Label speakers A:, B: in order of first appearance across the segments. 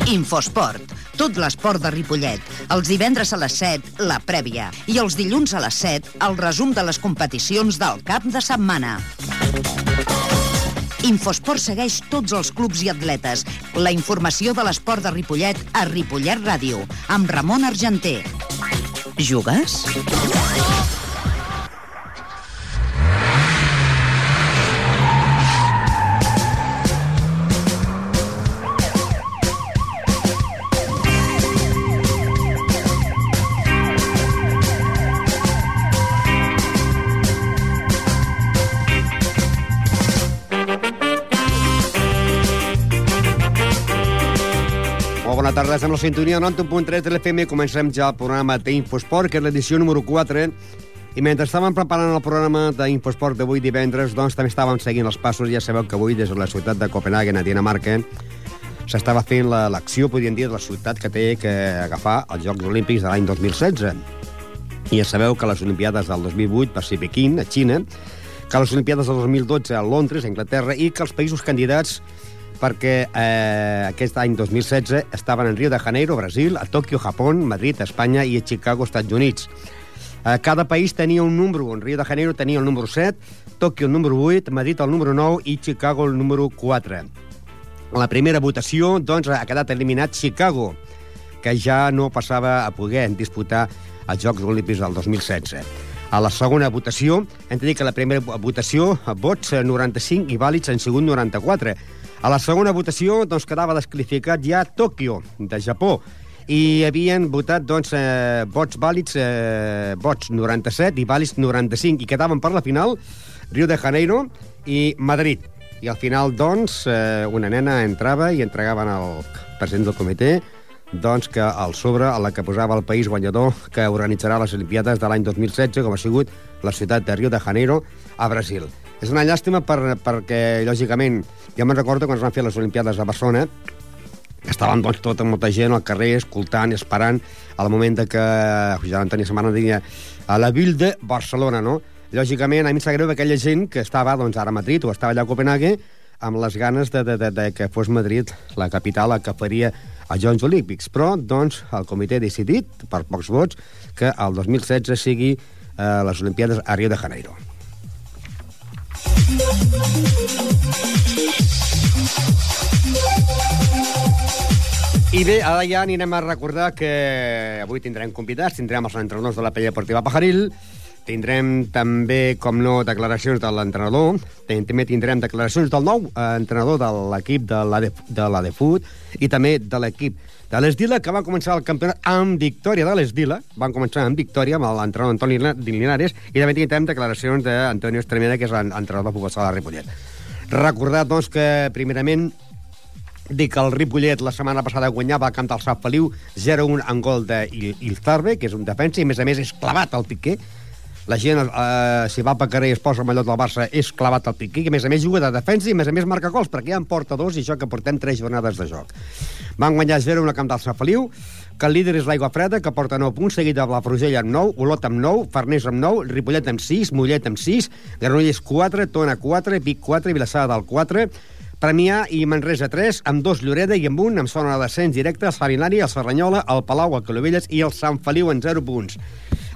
A: Infosport. Tot l'esport de Ripollet. Els divendres a les 7, la prèvia. I els dilluns a les 7, el resum de les competicions del cap de setmana. Infosport segueix tots els clubs i atletes. La informació de l'esport de Ripollet a Ripollet Ràdio, amb Ramon Argenter. Jugues?
B: Bona tarda, estem a la sintonia 91.3 de l'FM. Comencem ja el programa d'Infosport, que és l'edició número 4. I mentre estàvem preparant el programa d'Infosport d'avui divendres, doncs també estàvem seguint els passos. Ja sabeu que avui, des de la ciutat de Copenhagen, a Dinamarca, s'estava fent l'acció, podríem dir, de la ciutat que té que agafar els Jocs Olímpics de l'any 2016. I ja sabeu que les Olimpiades del 2008 va ser Pequín, a Xina, que les Olimpiades del 2012 a Londres, a Anglaterra, i que els països candidats perquè aquest any 2016 estaven en Rio de Janeiro, Brasil, a Tòquio, Japó, Madrid, Espanya i a Chicago, Estats Units. Cada país tenia un número. En Rio de Janeiro tenia el número 7, Tòquio el número 8, Madrid el número 9 i Chicago el número 4. En la primera votació, doncs, ha quedat eliminat Chicago, que ja no passava a poder disputar els Jocs Olímpics del 2016. A la segona votació, hem de dir que la primera votació, vots 95 i vàlids han sigut 94. A la segona votació, doncs, quedava desqualificat ja Tòquio, de Japó, i havien votat, doncs, vots vàlids, vots 97 i vàlids 95, i quedaven per la final Rio de Janeiro i Madrid. I al final, doncs, una nena entrava i entregaven al president del comitè, doncs, que al sobre, a la que posava el país guanyador que organitzarà les Olimpiades de l'any 2016, com ha sigut la ciutat de Rio de Janeiro, a Brasil. És una llàstima perquè, lògicament, ja me'n recordo quan es van fer les Olimpiades a Barcelona, estàvem, doncs, tota molta gent al carrer, escoltant, esperant, al moment que Josep Antoni Samana deia a la Ville de Barcelona, no? Lògicament, a mi em sap greu aquella gent que estava, doncs, ara a Madrid o estava allà a Copenhague amb les ganes de que fos Madrid la capital la que faria els Jocs Olímpics. Però, doncs, el comitè ha decidit, per pocs vots, que el 2016 sigui les Olimpiades a Rio de Janeiro. I bé, ara ja anirem a recordar que avui tindrem convidats, tindrem els entrenadors de la Penya Deportiva Pajaril, tindrem també, com no, declaracions de l'entrenador, també tindrem declaracions del nou entrenador de l'equip de l'Adefut i també de l'equip de l'Esdila, que va començar el campionat amb victòria de l'Esdila. Van començar amb victòria amb l'entrenador Antoni Linares, i també tindrem declaracions d'Antonio Estremera, que és l'entrenador del Futbol Sala de Ripollet. Recordar, doncs, que primerament dic que el Ripollet la setmana passada guanyava al camp del Sant Feliu 0-1 en gol d'Ilzarbe, que és un defensa, i a més és clavat al Piqué. La gent, si va pel carrer i es posa el mallot del Barça, és clavat al Piqué, que a més juga de defensa i a més marca gols, perquè ja en porta 2 i això que portem 3 jornades de joc. Van guanyar 0-1 al camp del Sant Feliu, que el líder és l'Aigua Freda, que porta 9 punts, seguit de la Frugell amb 9, Olot amb 9, Farners amb 9, Ripollet amb 6, Mollet amb 6, Granollers 4, Tona 4, Vic 4, Vilassar del 4, Premià i Manresa 3, amb 2 Lloreda i amb 1, amb zona de descens directe, el Salinari, el Serranyola, el Palau, el Calovelles i el Sant Feliu en 0 punts.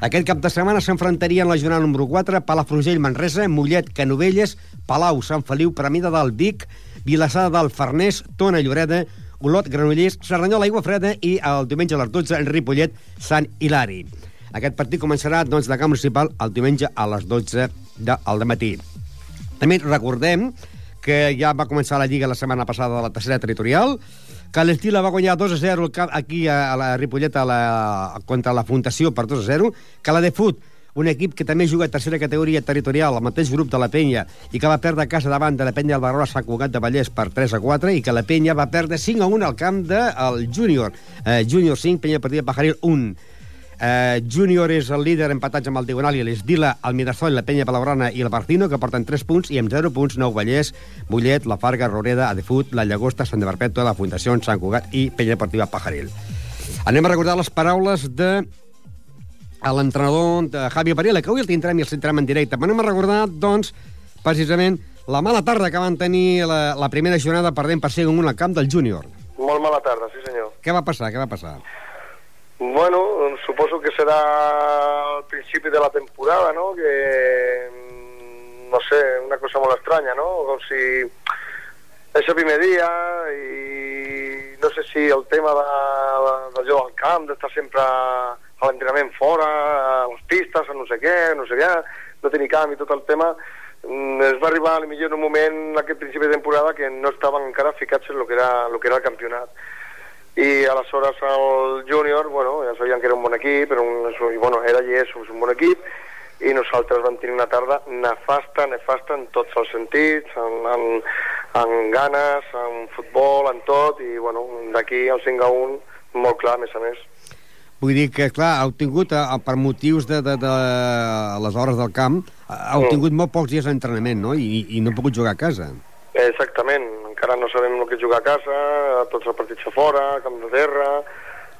B: Aquest cap de setmana s'enfrontarien la jornada número 4, Palafrugell, Manresa, Mollet, Canovelles, Palau, Sant Feliu, Premià de Dalt, Vic, Vilassar del Farners, Tona, Lloreda, Olot, Granollers, Serranyola, Aigua Freda i el diumenge a les 12 en Ripollet, Sant Hilari. Aquest partit començarà, doncs, de camp municipal el diumenge a les 12 del matí. També recordem que ja va començar la Lliga la setmana passada de la tercera territorial, que l'Esdila va guanyar 2-0 aquí a la Ripollet contra la Fundació per 2-0, que la Defut, un equip que també juga a tercera categoria territorial, al mateix grup de la Penya, i que va perdre a casa davant de la Penya del Barroa Sant Cugat de Vallès per 3-4, i que la Penya va perdre 5-1 al camp del Júnior. Júnior 5, Penya Deportiva Pajaril 1. Júnior és el líder empatats amb el Diagonal i l'Esdila, el Mirasol, la Penya Palaurana i el Barcino, que porten 3 punts, i amb 0 punts Nou Vallès, Mollet, La Farga, Roreda, Adefut, La Llagosta, Sant de Perpètua, la Fundació Sant Cugat i Penya Deportiva Pajaril. Anem a recordar les paraules de l'entrenador de Javi Varela, que avui el tindrem i el sentirem en directe. Anem a recordar, doncs, precisament la mala tarda que van tenir la primera jornada perdent per 5-1 al camp del Júnior.
C: Molt mala tarda, sí senyor.
B: Què va passar?
C: Bueno, suposo que serà el principi de la temporada, no? Que, no sé, una cosa molt estranya, no? Com si és el primer dia i no sé si el tema de jugar al camp, d'estar sempre a l'entrenament fora, a les pistes, a no sé què, no tenir camp i tot el tema, es va arribar potser en un moment, en aquest principi de temporada, que no estaven encara ficats en el que era el campionat. I aleshores el júnior, bueno, ja sabien que era un bon equip, era i és un bon equip, i nosaltres vam tenir una tarda nefasta en tots els sentits, en ganes, en futbol, en tot, i bueno, d'aquí el 5-1 molt clar, a més a més.
B: Vull dir que, clar, heu tingut, per motius de les hores del camp, heu tingut molt pocs dies d'entrenament, no? I no heu pogut jugar a casa.
C: Exactament, encara no sabem el que és jugar a casa, tots els partits a fora, camp de terra,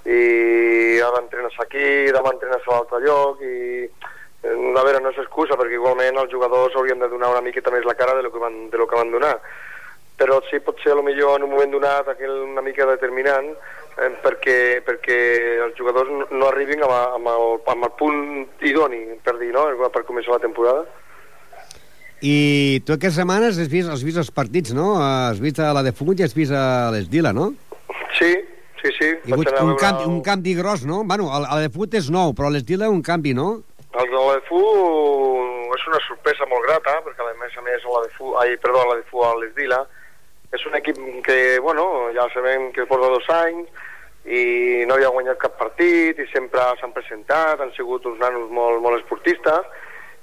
C: i ara entrenes aquí, demà entrenes a l'altre lloc, i a veure, no és excusa, perquè igualment els jugadors haurien de donar una miqueta més la cara de lo que van donar. Però sí, pot ser potser en un moment donat una mica determinant, perquè els jugadors no arribin amb el punt idoni, per dir, no?, per començar la temporada.
B: I tu aquestes setmanes has vist els partits, no? Has vist a la de Fut i has vist a l'Esdila, no?
C: Sí.
B: Hi ha hagut un canvi gros, no? Bueno, a la de Fut és nou, però a l'Esdila un canvi, no?
C: El de la de Fut és una sorpresa molt grata, perquè a més la de Fut a l'Esdila és un equip que, bueno, ja sabem que porta 2 anys i no havia guanyat cap partit i sempre s'han presentat, han sigut uns nanos molt esportistes,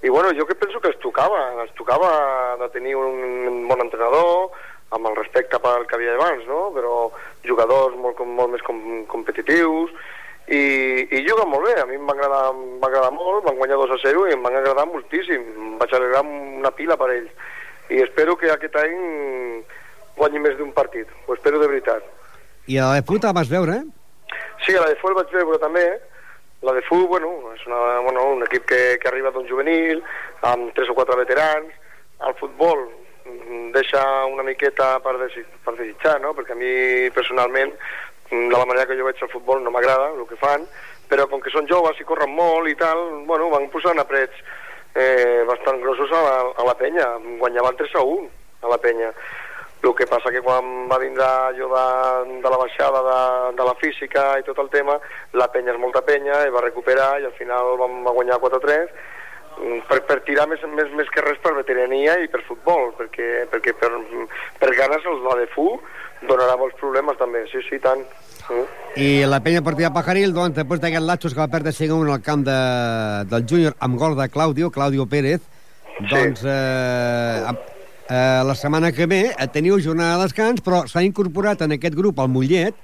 C: i bueno, jo que penso que els tocava de tenir un bon entrenador, amb el respecte pel que havia abans, no? Però jugadors molt més competitius, i juguen molt bé. A mi em va agradar molt, van guanyar 2-0 i em van agradar moltíssim, em vaig alegrar una pila per ells, i espero que aquest any guanyi més d'un partit, ho espero de veritat.
B: I a la de Fut la vas veure,
C: Sí, a la de Fut el vaig veure també. La de Fut, bueno, és un equip que arriba d'un juvenil, amb 3 o 4 veterans. El futbol deixa una miqueta per desitjar, no? Perquè a mi, personalment, de la manera que jo veig el futbol no m'agrada el que fan, però com que són joves i corren molt i tal, bueno, van posant aprets bastant grossos a la penya. Guanyaven 3-1 a la penya. El que passa que quan va vindre allò de la baixada de la física i tot el tema, la penya és molta penya, i va recuperar, i al final va guanyar 4-3, per tirar més que res per veterania i per futbol, perquè per ganes la de Fu donarà molts problemes també, sí, tant.
B: I la penya partida Pajaril, doncs, després d'aquest Latxos que va perdre 5-1 al camp del júnior amb gol de Claudio Pérez, doncs la setmana que ve teniu jornada de descans, però s'ha incorporat en aquest grup el Mollet,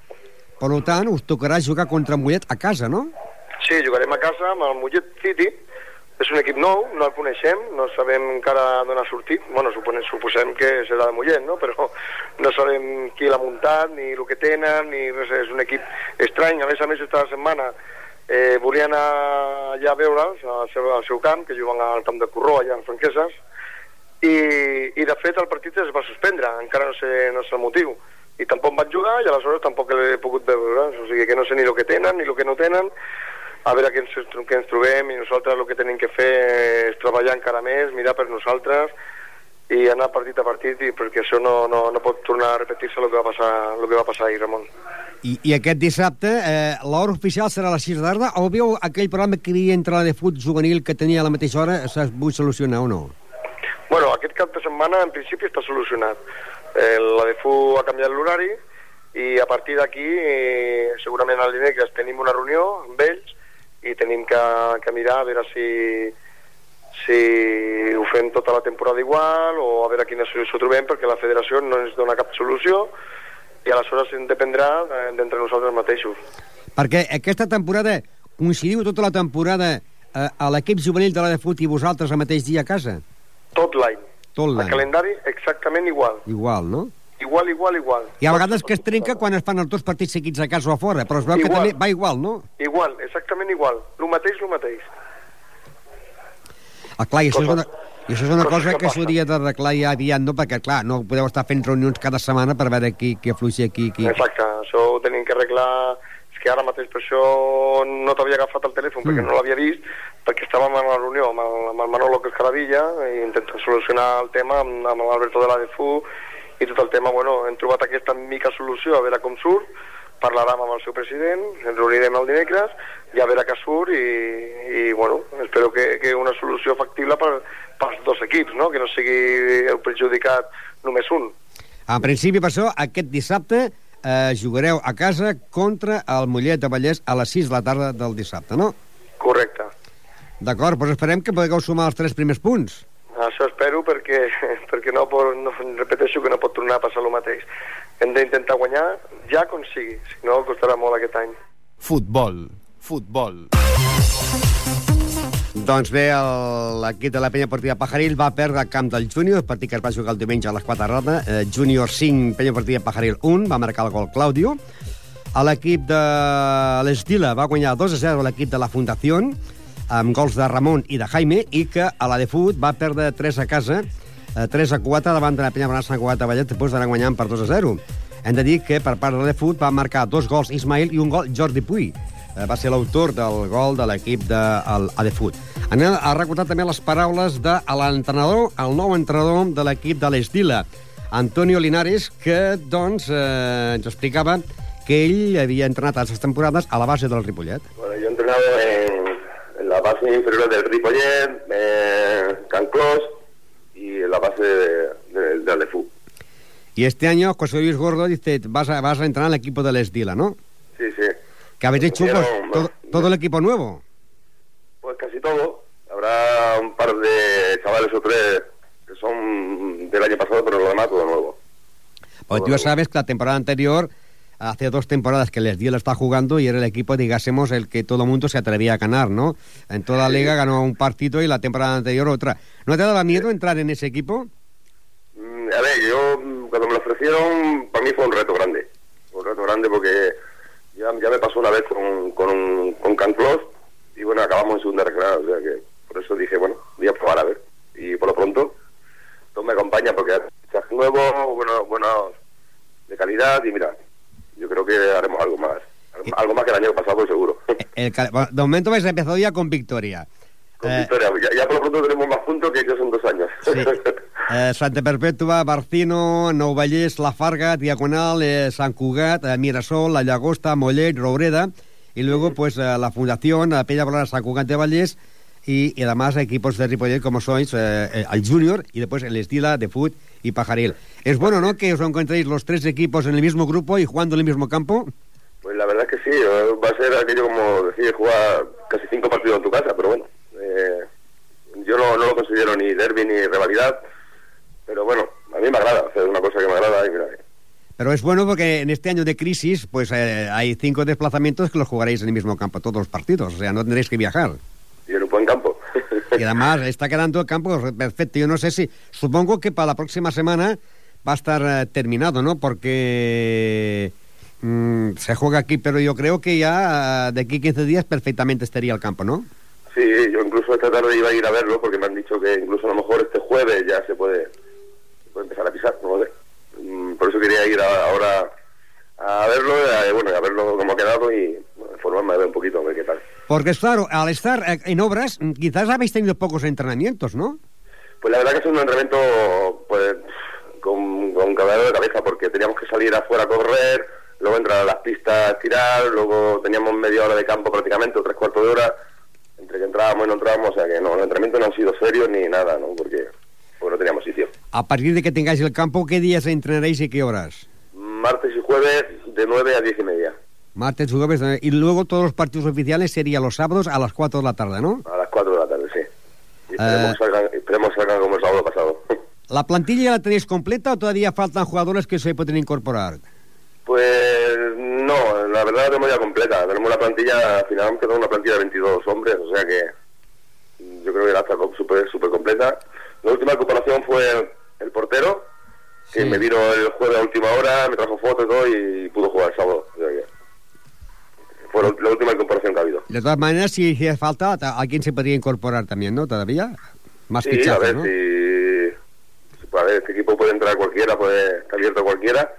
B: per tant us tocarà jugar contra el Mollet a casa, no?
C: Sí, jugarem a casa amb el Mollet City. És un equip nou, no el coneixem, no sabem encara d'on ha sortit. Bueno, suposem que serà de Mollet, no? Però no sabem qui l'ha muntat, ni el que tenen, ni res. És un equip estrany. A més, aquesta setmana volien anar allà a veure'ls al seu camp, que juguen al camp de Corró, allà a Franqueses, i de fet el partit es va suspendre, encara no sé el motiu, i tampoc van jugar i aleshores tampoc l'he pogut veure, o sigui que no sé ni el que tenen ni el que no tenen, a veure què ens trobem, i nosaltres el que tenim que fer és treballar encara més, mirar per nosaltres i anar partit a partit, perquè això no pot tornar a repetir-se el que va passar ahir, Ramon.
B: I aquest dissabte l'hora oficial serà a les 6 de la tarda, o veu aquell programa que hi havia entre la de Fut juvenil que tenia a la mateixa hora, s'ha vull solucionar o no?
C: Bueno, aquest cap de setmana en principi està solucionat. La de FU ha canviat l'horari i a partir d'aquí segurament al dimecres tenim una reunió amb ells i tenim que mirar a veure si ho fem tota la temporada igual o a veure quina solució trobem, perquè la federació no ens dona cap solució i aleshores dependrà d'entre nosaltres mateixos.
B: Perquè aquesta temporada coincidiu tota la temporada a l'equip juvenil de la de Fut i vosaltres al mateix dia a casa?
C: Tot l'any. El calendari exactament igual.
B: Igual, no?
C: Igual.
B: I a vegades que es trenca quan es fan els 2 partits seguits a casa o a fora, però es veu que també va igual, no?
C: Igual, exactament igual. Lo mateix.
B: Clar, i I això és una cosa que s'hauria d'arreglar ja aviat, no? Perquè, clar, no podeu estar fent reunions cada setmana per veure qui afluixi aquí.
C: Exacte, això ho tenim que arreglar. És que ara mateix per això no t'havia agafat el telèfon, perquè no l'havia vist, perquè estàvem en una reunió amb el Manolo Cascaravilla i intentant solucionar el tema amb l'Alberto de la DFU i tot el tema, bueno, hem trobat aquesta mica solució, a veure com surt, parlarem amb el seu president, ens reunirem el dimecres i a veure què surt i bueno, espero que una solució factible pels dos equips, no? Que no sigui el perjudicat només un.
B: En principi, per això, aquest dissabte jugareu a casa contra el Mollet de Vallès a les 6 de la tarda del dissabte, no?
C: Correcte.
B: D'acord, doncs esperem que podeu sumar els 3 primers punts.
C: Això espero perquè no repeteixo que no pot tornar a passar el mateix. Hem d'intentar guanyar ja com sigui, si no costarà molt aquest any.
D: Futbol.
B: Doncs bé, l'equip de la Penya Esportiva Pajaril va perdre al camp del Júnior, el partit que es va jugar el diumenge a les 4 de la tarda. Júnior 5, Penya Esportiva Pajaril 1, va marcar el gol Claudio. L'equip de l'Estila va guanyar 2-0 a l'equip de la Fundació, amb gols de Ramon i de Jaime, i que a la de Fut va perdre 3 a casa, 3-4 davant de la Penya Bonança Sant Cugat de Vallet, després d'anar guanyant per 2-0. Hem de dir que per part de la de Fut va marcar 2 gols Ismail i un gol Jordi Puy. Va ser l'autor del gol de l'equip de l'Adefut. Anem a recordar també les paraules de l'entrenador, el nou entrenador de l'equip de l'Estila, Antonio Linares, que doncs ens explicava que ell havia entrenat a les temporades a la base del Ripollet.
E: Bueno, yo he entrenado en la base inferior del Ripollet, Can Clos y en la base de Alefú.
B: Y este año José Luis Gordo dice, vas a entrenar al equipo del Estila, ¿no?
E: Sí.
B: ¿Que habéis hecho todo el equipo nuevo?
E: Pues casi todo. Habrá un par de chavales o 3 que son del año pasado, pero lo demás todo nuevo.
B: Pues tú sabes que la temporada anterior, hace 2 temporadas que el Estila está jugando y era el equipo, digásemos, el que todo el mundo se atrevía a ganar, ¿no? En toda la liga ganó un partido y la temporada anterior otra. ¿No te daba miedo entrar en ese equipo?
E: A ver, yo cuando me lo ofrecieron, para mí fue un reto grande. Un reto grande porque ya me pasó una vez con Canclós y bueno, acabamos en segunda regional, o sea que por eso dije, bueno, voy a probar a ver. Y por lo pronto, todo me acompaña porque hay fichajes nuevos, buenos de calidad y mira, yo creo que haremos algo más que el año pasado seguro.
B: De momento habéis empezado ya con victoria.
E: Con victoria, ya por lo pronto tenemos más puntos que ellos en 2 años.
B: Sí. Santa Perpètua, Barcino, Nou Vallès, La Farga, Diagonal, Sant Cugat, Mirasol, La Llagosta, Mollet, Robreda, y luego pues la Fundación, la Penya Bonança Sant Cugat de Vallès, y además equipos de Ripollet como sois, el Júnior, y después el Estila, de Fut y Pajaril. Es bueno, ¿no?, que os encontréis los 3 equipos en el mismo grupo y jugando en el mismo campo.
E: Pues la verdad es que sí, va a ser aquello como decir, jugar casi 5 partidos en tu casa, pero bueno, yo no lo considero ni derbi ni rivalidad, pero bueno, a mí me agrada hacer una cosa que me agrada y mira.
B: Pero es bueno porque en este año de crisis pues hay 5 desplazamientos que los jugaréis en el mismo campo todos los partidos, o sea, no tendréis que viajar.
E: Y en un buen campo.
B: Y además está quedando el campo perfecto. Yo no sé si, supongo que para la próxima semana va a estar terminado, ¿no? Porque se juega aquí, pero yo creo que ya de aquí 15 días perfectamente estaría el campo, ¿no?
E: Sí, yo incluso esta tarde iba a ir a verlo porque me han dicho que incluso a lo mejor este jueves ya se puede empezar a pisar, no sé. Por eso quería ir ahora a verlo, a verlo cómo ha quedado y informarme un poquito a ver qué tal.
B: Porque claro, al estar en obras, quizás habéis tenido pocos entrenamientos, ¿no?
E: Pues la verdad que es un entrenamiento pues con cabello de cabeza, porque teníamos que salir afuera a correr, luego entrar a las pistas a tirar, luego teníamos media hora de campo prácticamente, o 3/4 de hora, entre que entrábamos y no entrábamos, o sea que no, los entrenamientos no han sido serios ni nada, ¿no? Porque no teníamos sitio.
B: A partir de que tengáis el campo, ¿qué días entrenaréis y qué horas?
E: Martes y jueves de 9 a 10:30.
B: Martes y jueves, y luego todos los partidos oficiales serían los sábados a las 4 de la tarde, ¿no?
E: A las 4 de la tarde, sí. Y esperemos que salgan como el sábado pasado.
B: ¿La plantilla ya la tenéis completa o todavía faltan jugadores que se pueden incorporar?
E: Pues no, la verdad la tenemos ya completa. Tenemos una plantilla, finalmente tenemos una plantilla de 22 hombres, o sea que yo creo que ya está súper completa. La última incorporación fue el portero, que me vino el jueves a última hora, me trajo fotos y todo y pudo jugar el sábado. O sea que fue la última incorporación que ha habido.
B: De todas maneras, si hiciera falta, alguien se podría incorporar también, ¿no? ¿Todavía? Más
E: sí,
B: fichajes,
E: a ver,
B: ¿no?
E: A ver, este equipo puede entrar cualquiera, puede estar abierto a cualquiera.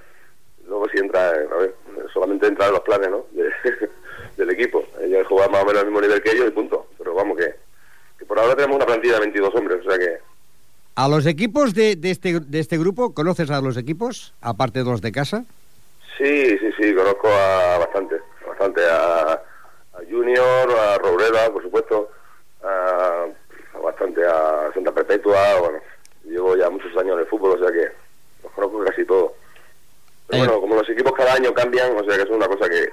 E: Luego si entra, a ver, solamente entra en los planes, ¿no? Del equipo. Ellos juegan más o menos al mismo nivel que ellos y punto. Pero vamos, que por ahora tenemos una plantilla de 22 hombres, o sea que...
B: ¿A los equipos de este grupo, conoces a los equipos, aparte de los de casa?
E: Sí, conozco a bastante a Junior, a Roureda, por supuesto, a Santa Perpetua, bueno, llevo ya muchos años en el fútbol, o sea que los conozco casi todos. Pero bueno, como los equipos cada año cambian, o sea que es una cosa que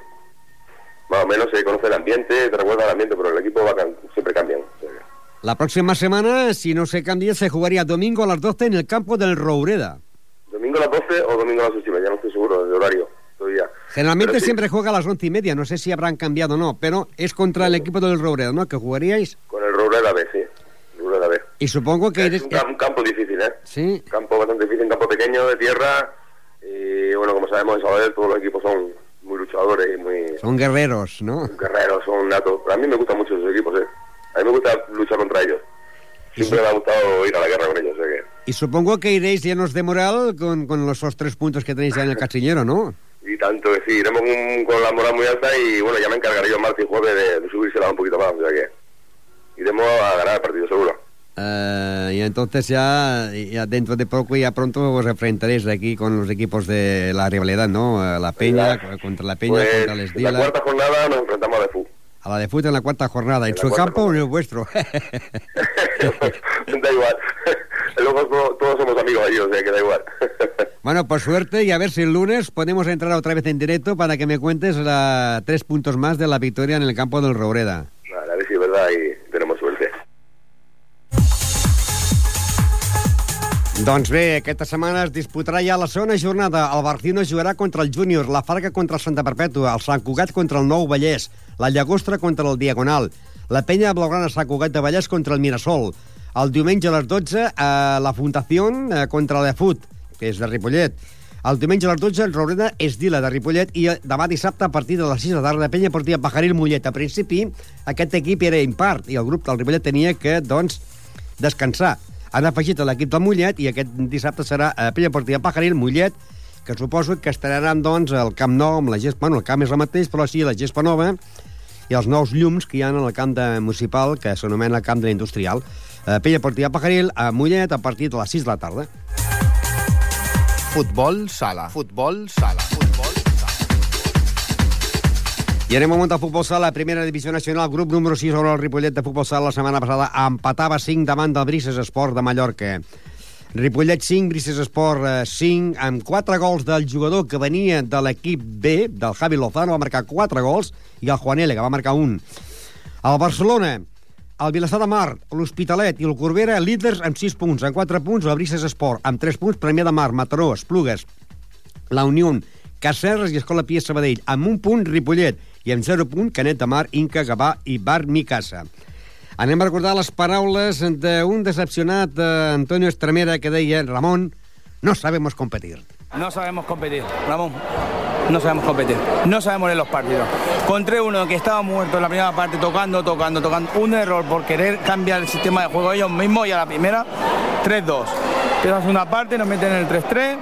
E: más o menos se conoce el ambiente, te recuerda el ambiente, pero el equipo siempre cambian. O sea que...
B: La próxima semana, si no se cambia, se jugaría domingo a las 12 en el campo del Roureda.
E: ¿Domingo a las 12 o domingo a las 8:30? Ya no estoy seguro del horario todavía.
B: Generalmente
E: sí,
B: siempre juega a las 11:30, no sé si habrán cambiado o no, pero es contra el equipo del Roureda, ¿no?, que jugaríais.
E: Con el Roureda B, sí. Roureda B.
B: Y supongo que
E: es un campo difícil, ¿eh?
B: Sí.
E: Un campo bastante difícil, un campo pequeño de tierra. Y bueno, como sabemos en Sabadell todos los equipos son muy luchadores y muy...
B: Son guerreros, ¿no?
E: Guerreros, son natos. A mí me gustan mucho esos equipos, ¿eh? A mí me gusta luchar contra ellos. Siempre me ha gustado ir a la guerra con ellos, o sea que...
B: Y supongo que iréis llenos de moral con esos 3 puntos que tenéis ya en el cachillero, ¿no?
E: Y tanto que sí, iremos con la moral muy alta y bueno, ya me encargaré yo martes y jueves de subírsela un poquito más, o sea que iremos a ganar el partido seguro.
B: Y entonces ya dentro de poco, ya pronto os enfrentaréis aquí con los equipos de la rivalidad, ¿no? La Peña, contra la Peña,
E: pues,
B: contra el Esdila.
E: En la cuarta jornada nos enfrentamos a la FU.
B: A la de fútbol en la cuarta jornada. ¿En su campo o en el vuestro?
E: Da igual. Luego todos somos amigos allí, o sea que da igual.
B: Bueno, pues suerte y a ver si el lunes podemos entrar otra vez en directo para que me cuentes 3 puntos más de la victoria en el campo del Roureda.
E: Vale, a ver si es verdad y tenemos suerte.
B: Doncs bé, aquesta setmana es disputarà ja la segona jornada. El Barcino jugarà contra el Júnior, la Farga contra el Santa Perpètua, el Sant Cugat contra el Nou Vallès, la Llagostra contra el Diagonal, la Penya Blaugrana Sant Cugat de Vallès contra el Mirasol. El diumenge a les 12, la Fundació contra l'Efut, que és de Ripollet. El diumenge a les 12, el Roureda Esdila de Ripollet, i demà dissabte a partir de les 6 de la tarda, Penya Portiva Pajaril Mollet. A principi, aquest equip era impart i el grup del Ripollet tenia que, doncs, descansar. Han afegit a l'equip del Mollet i aquest dissabte serà Penya Portiva Pajaril Mollet, que suposo que estaran, doncs, al Camp Nou amb la gespa, bueno, el camp és el mateix, però sí la gespa nova i els nous llums que hi ha en el camp municipal, que s'anomena camp de l'industrial. Penya Portiva Pajaril a Mollet a partir de les 6 de la tarda.
D: Futbol sala. Futbol sala. Futbol sala.
B: I anem al món del futbol sala, primera divisió nacional, grup número 6 sobre el Ripollet de futbol sala. La setmana passada empatava 5 davant del Brises Esport de Mallorca. Ripollet 5, Brises Esport 5, amb 4 gols del jugador que venia de l'equip B, del Javi Lozano, va marcar 4 gols, i el Juan L, que va marcar 1. El Barcelona, el Vilassar de Mar, l'Hospitalet i el Corbera, líders amb 6 punts. En 4 punts, el Brises Esport, amb 3 punts, Premià de Mar, Mataró, Esplugues, la Unió, Cacerres i Escola Pia Sabadell. Amb 1 punt, Ripollet, i amb 0 punt, Canet de Mar, Inca, Gavà i Bar Micasa. Anem a recordar les paraules d'un decepcionat Antonio Estremera que deia: Ramón, no sabemos competir.
F: No sabemos competir, Ramón. No sabemos competir. No sabemos leer los partidos. Con 3-1 que estaba muerto en la primera parte, tocando. Un error por querer cambiar el sistema de juego ellos mismos, y a la primera, 3-2. Empieza la segunda parte, nos meten en el 3-3.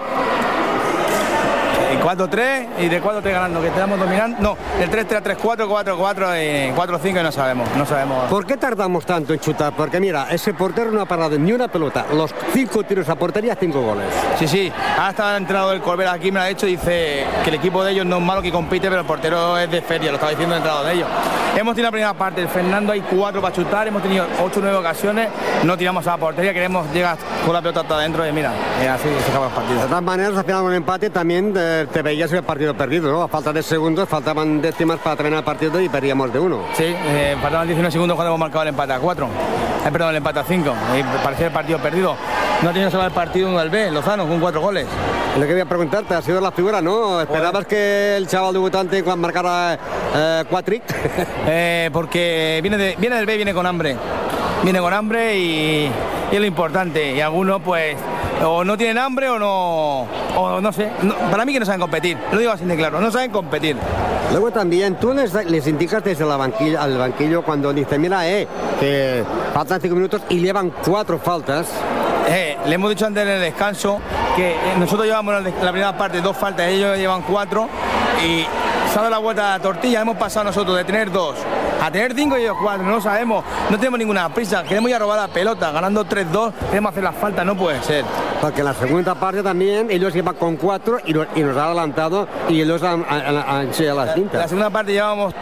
F: 4-3 y de 4-3 ganando, que estamos dominando. No, el 3-3 a 3-4, 4-4 y 4-5 y no sabemos.
B: ¿Por qué tardamos tanto en chutar? Porque mira, ese portero no ha parado ni una pelota. Los 5 tiros a portería, 5 goles.
F: Sí. Ahora está el entrenador del Corbera aquí, me lo ha dicho, dice que el equipo de ellos no es malo, que compite, pero el portero es de feria, lo estaba diciendo el entrenador de ellos. Hemos tenido la primera parte, el Fernando hay 4 para chutar, hemos tenido 8 o 9 ocasiones, no tiramos a la portería, queremos llegar con la pelota hasta adentro y mira, así se acaba el partido.
B: De todas maneras, al final de un empate también te veías el partido perdido, ¿no? A falta de segundos, faltaban décimas para terminar el partido y perdíamos de 1.
F: Sí, faltaban 19 segundos cuando hemos marcado el empate a 4. Perdón, el empate a 5. Y parecía el partido perdido. No ha tenido solo el partido uno del B, Lozano, con 4 goles.
B: Lo que voy a preguntarte, ha sido la figura, ¿no? ¿Esperabas que el chaval debutante marcara 4?
F: Porque viene del B, viene con hambre. Viene con hambre y es lo importante. Y algunos, pues, o no tienen hambre o no sé. Para mí que no saben competir, lo digo así de claro, no saben competir.
B: Luego también tú les indicas desde al banquillo cuando dices, mira, que faltan 5 minutos y llevan 4 faltas.
F: Le hemos dicho antes en el descanso que nosotros llevamos la primera parte 2 faltas, ellos llevan 4 y se ha dado la vuelta a la tortilla. Hemos pasado nosotros de tener 2 a tener 5 y ellos 4, no lo sabemos, no tenemos ninguna prisa, queremos ir a robar la pelota, ganando 3-2, queremos hacer las faltas, no puede ser.
B: Porque en la segunda parte también ellos iban con 4 y nos han adelantado y ellos han enseñado las cintas.
F: La segunda parte llevábamos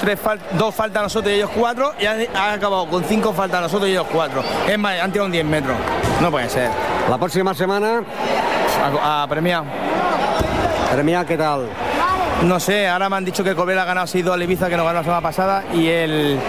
F: 2 faltas nosotros y ellos 4 y han acabado con 5 faltas nosotros y ellos 4. Es más, han tirado un 10 metros. No puede ser.
B: La próxima semana
F: a Premià.
B: Premià, ¿qué tal?
F: No sé, ahora me han dicho que el Corbera ha ganado 6-2 al Ibiza, que nos ganó la semana pasada, y el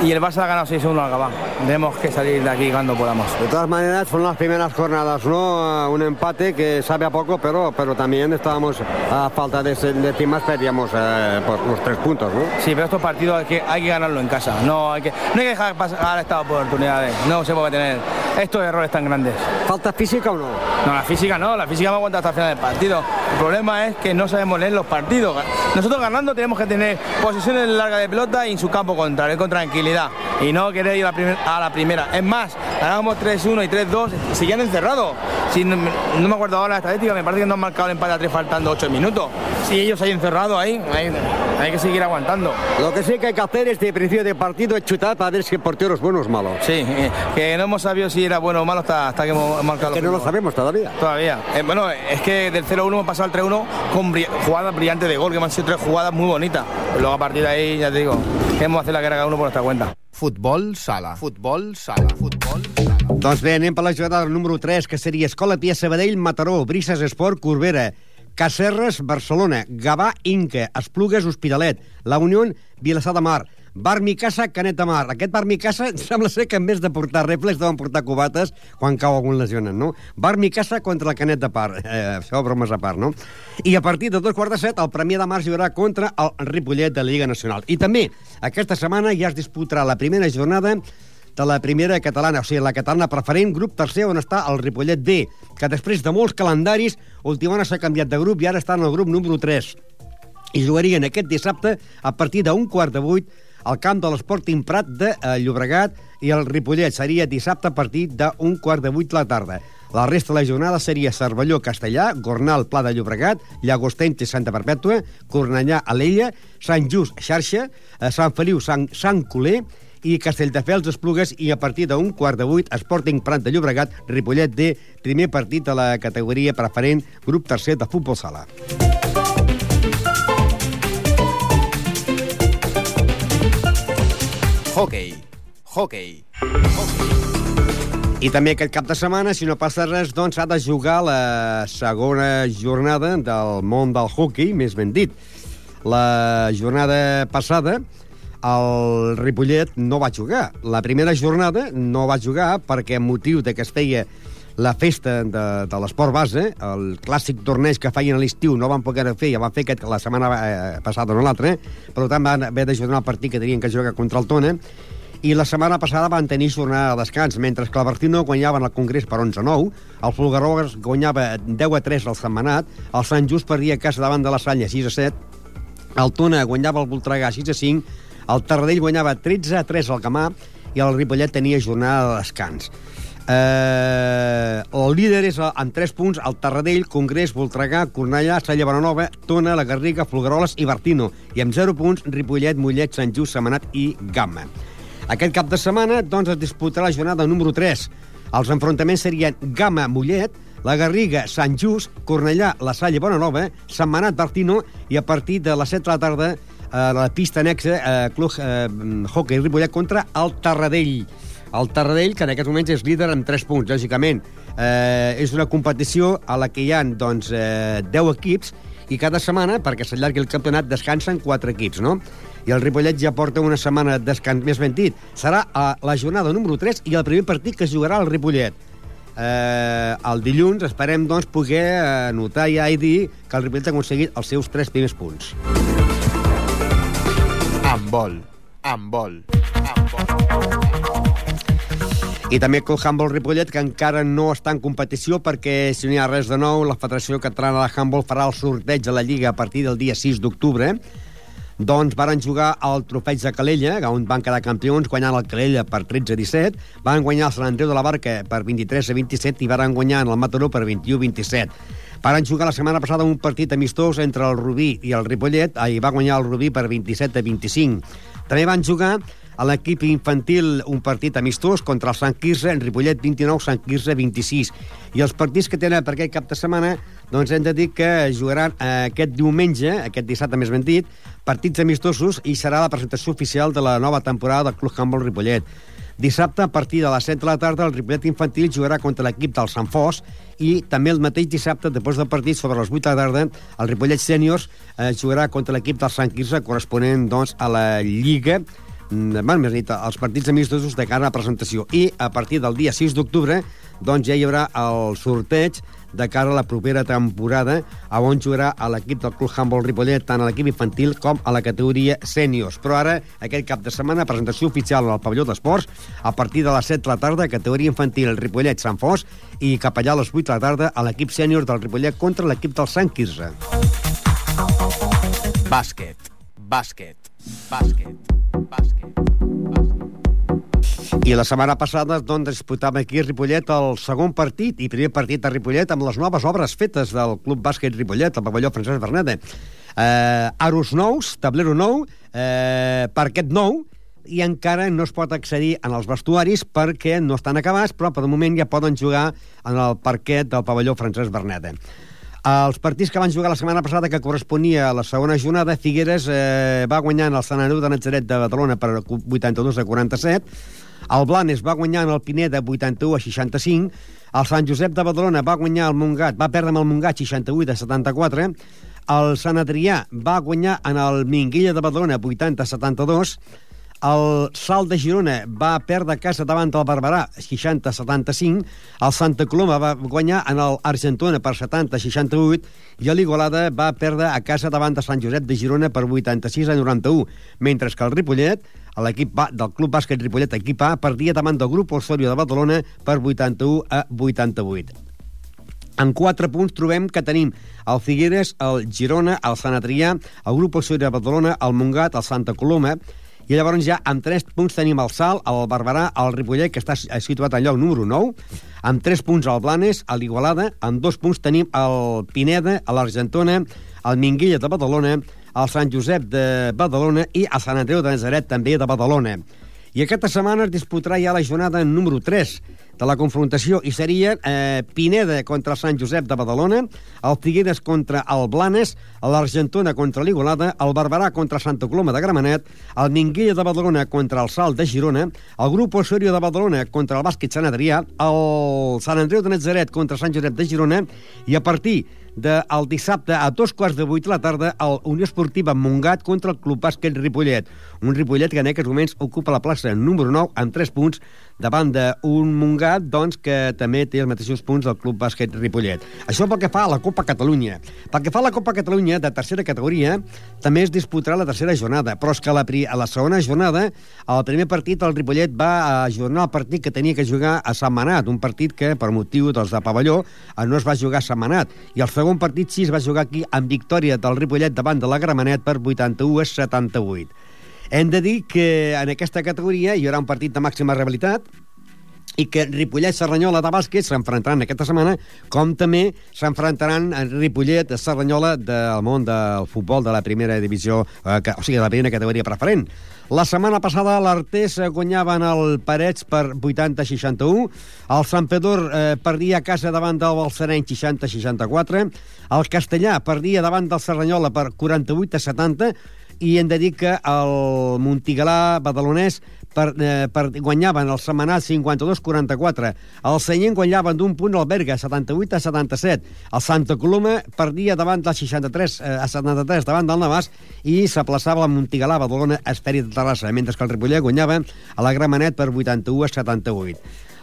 F: Barça ha ganado 6-1 al Gabá. Tenemos que salir de aquí cuando podamos.
B: De todas maneras, son las primeras jornadas, ¿no? Un empate que sabe a poco, pero también estábamos a falta de cimas, perdíamos por los 3 puntos, ¿no?
F: Sí, pero estos partidos hay que ganarlo en casa. No hay que dejar pasar estas oportunidades. No se puede tener estos errores tan grandes.
B: ¿Falta física o no?
F: No, la física no. La física me aguanta hasta el final del partido. El problema es que no sabemos leer los partidos. Nosotros ganando tenemos que tener posiciones largas de pelota y en su campo contrario, con tranquilidad. Y no querer ir a la primera. Es más, ganábamos 3-1 y 3-2, seguían encerrados. Si no me acuerdo ahora la estadística, me parece que no han marcado el empate a 3 faltando 8 minutos. Si ellos hay encerrados ahí, hay que seguir aguantando.
B: Lo que sí que hay que hacer este principio de partido es chutar para ver si el portero es bueno o es malo.
F: Sí, que no hemos sabido si era bueno o malo hasta que hemos marcado.
B: Que no lo sabemos todavía.
F: Todavía. Bueno, es que del 0-1 hemos pasado al 3-1 con jugadas brillantes de gol, que me han sido 3 jugadas muy bonitas. Luego a partir de ahí, ya te digo, queremos hacer la guerra cada uno por nuestra cuenta.
D: Futbol sala. Futbol sala. Futbol sala.
B: Doncs bé, anem per la jugada número 3, que seria Escola Pia Sabadell, Mataró, Brises Esport, Corbera, Cacerres, Barcelona, Gavà, Inca, Esplugues, Hospitalet, La Unió, Vilassar de Mar, Bar Micasa, Canet de Mar. Aquest Bar Micasa sembla ser que en vez de portar reflex deuen portar cubates quan cau algun lesionat, no? Bar Micasa contra el Canet de Mar. Això bromes a part, no? I a partir de 2:15, el Premià de Mar jugarà contra el Ripollet de la Lliga Nacional. I també, aquesta setmana ja es disputarà la primera jornada de la primera catalana, o sigui, la catalana preferent, grup tercer, on està el Ripollet B, que després de molts calendaris, últimament s'ha canviat de grup i ara està en el grup número 3. I jugarien aquest dissabte a partir d'7:15 al camp de l'Sporting Prat de Llobregat, i el Ripollet seria dissabte a partir d'7:15 de la tarda. La resta de la jornada seria Cervelló, Castellà, Gornal, Pla de Llobregat, Llagosteny, Santa Perpètua, Cornellà, Alella, Sant Just, Xarxa, Sant Feliu, Sant Coler i Castelldefels, Esplugues, i a partir d'7:15 Sporting Prat de Llobregat, Ripollet D, primer partit de la categoria preferent, grup tercer de futbol sala.
D: Hockey.
B: I també aquest cap de setmana, si no passa res, doncs ha de jugar la segona jornada del món del hockey, més ben dit. La jornada passada el Ripollet no va jugar. La primera jornada no va jugar perquè, amb motiu de que es feia la festa de l'esport base, el clàssic torneig que feien a l'estiu no van poder fer, ja van fer la setmana passada o no l'altra, per tant van haver de jugar el partit que tenien que jugar contra el Tona, i la setmana passada van tenir jornada de descans, mentre que el Bertino guanyaven el Congrés per 11-9, el Folgueroles guanyava 10-3 al Sentmenat, el Sant Just perdia a casa davant de la Salla 6-7, el Tona guanyava el Voltregà 6-5, el Tarradell guanyava 13-3 al Camà i el Ripollet tenia jornada de descans. El líder és amb 3 punts el Tarradell, Congrés, Voltregà, Cornellà, Salla Bonanova, Tona, la Garriga, Folgueroles i Bertino, i amb 0 punts Ripollet, Mollet, Sant Just, Sentmenat i Gamma. Aquest cap de setmana doncs, es disputarà la jornada número 3. Els enfrontaments serien Gamma-Mollet, la Garriga, Sant Just, Cornellà, la Salla Bonanova, Sentmenat, Bertino, i a partir de les 7 de la tarda la pista anexa Club Hockey Ripollet contra el Tarradell. El Tarradell, que en aquests moments és líder amb 3 punts, lògicament. És una competició a la que hi ha doncs, 10 equips, i cada setmana, perquè s'allargui el campionat, descansen 4 equips, no? I el Ripollet ja porta una setmana de descans, més ben dit. Serà la jornada número 3 i el primer partit que es jugarà al Ripollet. El dilluns esperem doncs, poder anotar ja i dir que el Ripollet ha aconseguit els seus 3 primers punts.
D: Handbol.
B: I també el Handball Ripollet, que encara no està en competició perquè, si no hi ha res de nou, la Federació Catalana de Handball farà el sorteig de la Lliga a partir del dia 6 d'octubre. Doncs varen jugar al Trofeig de Calella, on van quedar campions, guanyant el Calella per 13-17, van guanyar el Sant Andreu de la Barca per 23-27 i varen guanyar en el Mataró per 21-27. Varen jugar la setmana passada un partit amistós entre el Rubí i el Ripollet, i va guanyar el Rubí per 27-25. També van jugar a l'equip infantil un partit amistós contra el Sant Quirze, en Ripollet 29, Sant Quirze 26. I els partits que tenen per aquest cap de setmana, doncs hem de dir que jugaran aquest diumenge, aquest dissabte més ben dit, partits amistosos, i serà la presentació oficial de la nova temporada del Club Handball Ripollet. Dissabte, a partir de les 7 de la tarda, el Ripollet infantil jugarà contra l'equip del Sant Fos, i també el mateix dissabte, després del partit, sobre les 8 de la tarda, el Ripollet Sèniors jugarà contra l'equip del Sant Quirze, corresponent doncs, a la Lliga, més dit, els partits amistosos de cara a la presentació. I a partir del dia 6 d'octubre doncs ja hi haurà el sorteig de cara a la propera temporada, on jugarà a l'equip del Club Handball Ripollet, tant a l'equip infantil com a la categoria sèniors. Però ara, aquest cap de setmana, presentació oficial al pavelló d'esports, a partir de les 7 de la tarda, categoria infantil Ripollet Sant Fos, i cap allà a les 8 de la tarda a l'equip sènior del Ripollet contra l'equip del Sant Quirze.
D: Bàsquet, bàsquet, bàsquet, bàsquet.
B: I la setmana passada doncs, disputàvem aquí a Ripollet el segon partit i primer partit a Ripollet amb les noves obres fetes del Club Bàsquet Ripollet, el pavelló Francesc Berneda. Aros nous, tablero nou, parquet nou, i encara no es pot accedir en els vestuaris perquè no estan acabats, però per moment ja poden jugar en el parquet del pavelló Francesc Berneda. Els partits que van jugar la setmana passada, que corresponia a la segona jornada, Figueres va guanyar el Sant Andreu de Natzaret de Badalona per 82-47, el Blanes va guanyar el Pineda 81-65, el Sant Josep de Badalona va guanyar el Montgat, va perdre amb el Montgat 68-74, el Sant Adrià va guanyar en el Minguella de Badalona 80-72, el Salt de Girona va perdre a casa davant del Barberà 60-75, el Santa Coloma va guanyar en l'Argentona per 70-68 i l'Igualada va perdre a casa davant de Sant Josep de Girona per 86-91, mentre que el Ripollet, l'equip del Club Bàsquet Ripollet, equip A, perdia davant del Grup Osorio de Badalona per 81-88. En 4 punts trobem que tenim el Figueres, el Girona, el Sant Adrià, el Grup Osorio de Badalona, el Montgat, el Santa Coloma, i llavors ja amb 3 punts tenim el Salt, el Barberà, el Ripollet, que està situat al lloc número 9, amb 3 punts el Blanes, l'Igualada, amb 2 punts tenim el Pineda, l'Argentona, el Minguella de Badalona, el Sant Josep de Badalona i el Sant Andreu de Natzaret, també de Badalona. I aquesta setmana es disputarà ja la jornada número 3 de la confrontació, i seria Pineda contra el Sant Josep de Badalona, el Figueres contra el Blanes, l'Argentona contra l'Igualada, el Barberà contra Santa Coloma de Gramenet, el Minguella de Badalona contra el Salt de Girona, el Grup Osorio de Badalona contra el Bàsquet Sant Adrià, el Sant Andreu de Natzaret contra Sant Josep de Girona, i a partir del dissabte a 7:15 de la tarda el Unió Esportiva Montgat contra el Club Bàsquet Ripollet. Un Ripollet que en aquests moments ocupa la plaça número 9 amb 3 punts davant d'un Montgat doncs, que també té els mateixos punts del Club Bàsquet Ripollet. Això pel que fa a la Copa Catalunya. Pel que fa a la Copa Catalunya de tercera categoria, també es disputarà la tercera jornada, però és que a la segona jornada, el primer partit, el Ripollet va ajornar el partit que tenia que jugar a Sentmenat, un partit que, per motiu de pavelló, no es va jugar a Sentmenat, i el segon partit sí es va jugar aquí amb victòria del Ripollet davant de la Gramenet per 81-78. Hem de dir que en aquesta categoria hi haurà un partit de màxima rivalitat i que Ripollet-Cerdanyola de bàsquet s'enfrontaran aquesta setmana, com també s'enfrontaran Ripollet-Cerdanyola del món del futbol de la primera divisió, o sigui, de la primera categoria preferent. La setmana passada l'Artés guanyaven el Parets per 80-61, el Santpedor perdia a casa davant del Balsareny 60-64, el Castellà perdia davant del Cerdanyola per 48-70, i hem de dir que el Montigalà badalonès guanyaven el Sentmenat 52-44, el Sallent guanyaven d'un punt el Berga 78-77, el Santa Coloma perdia davant del 63-73 davant del Navàs i s'aplaçava el Montigalà Badalona a Esferi de Terrassa, mentre que el Ripollet guanyava a la Gramenet per 81-78.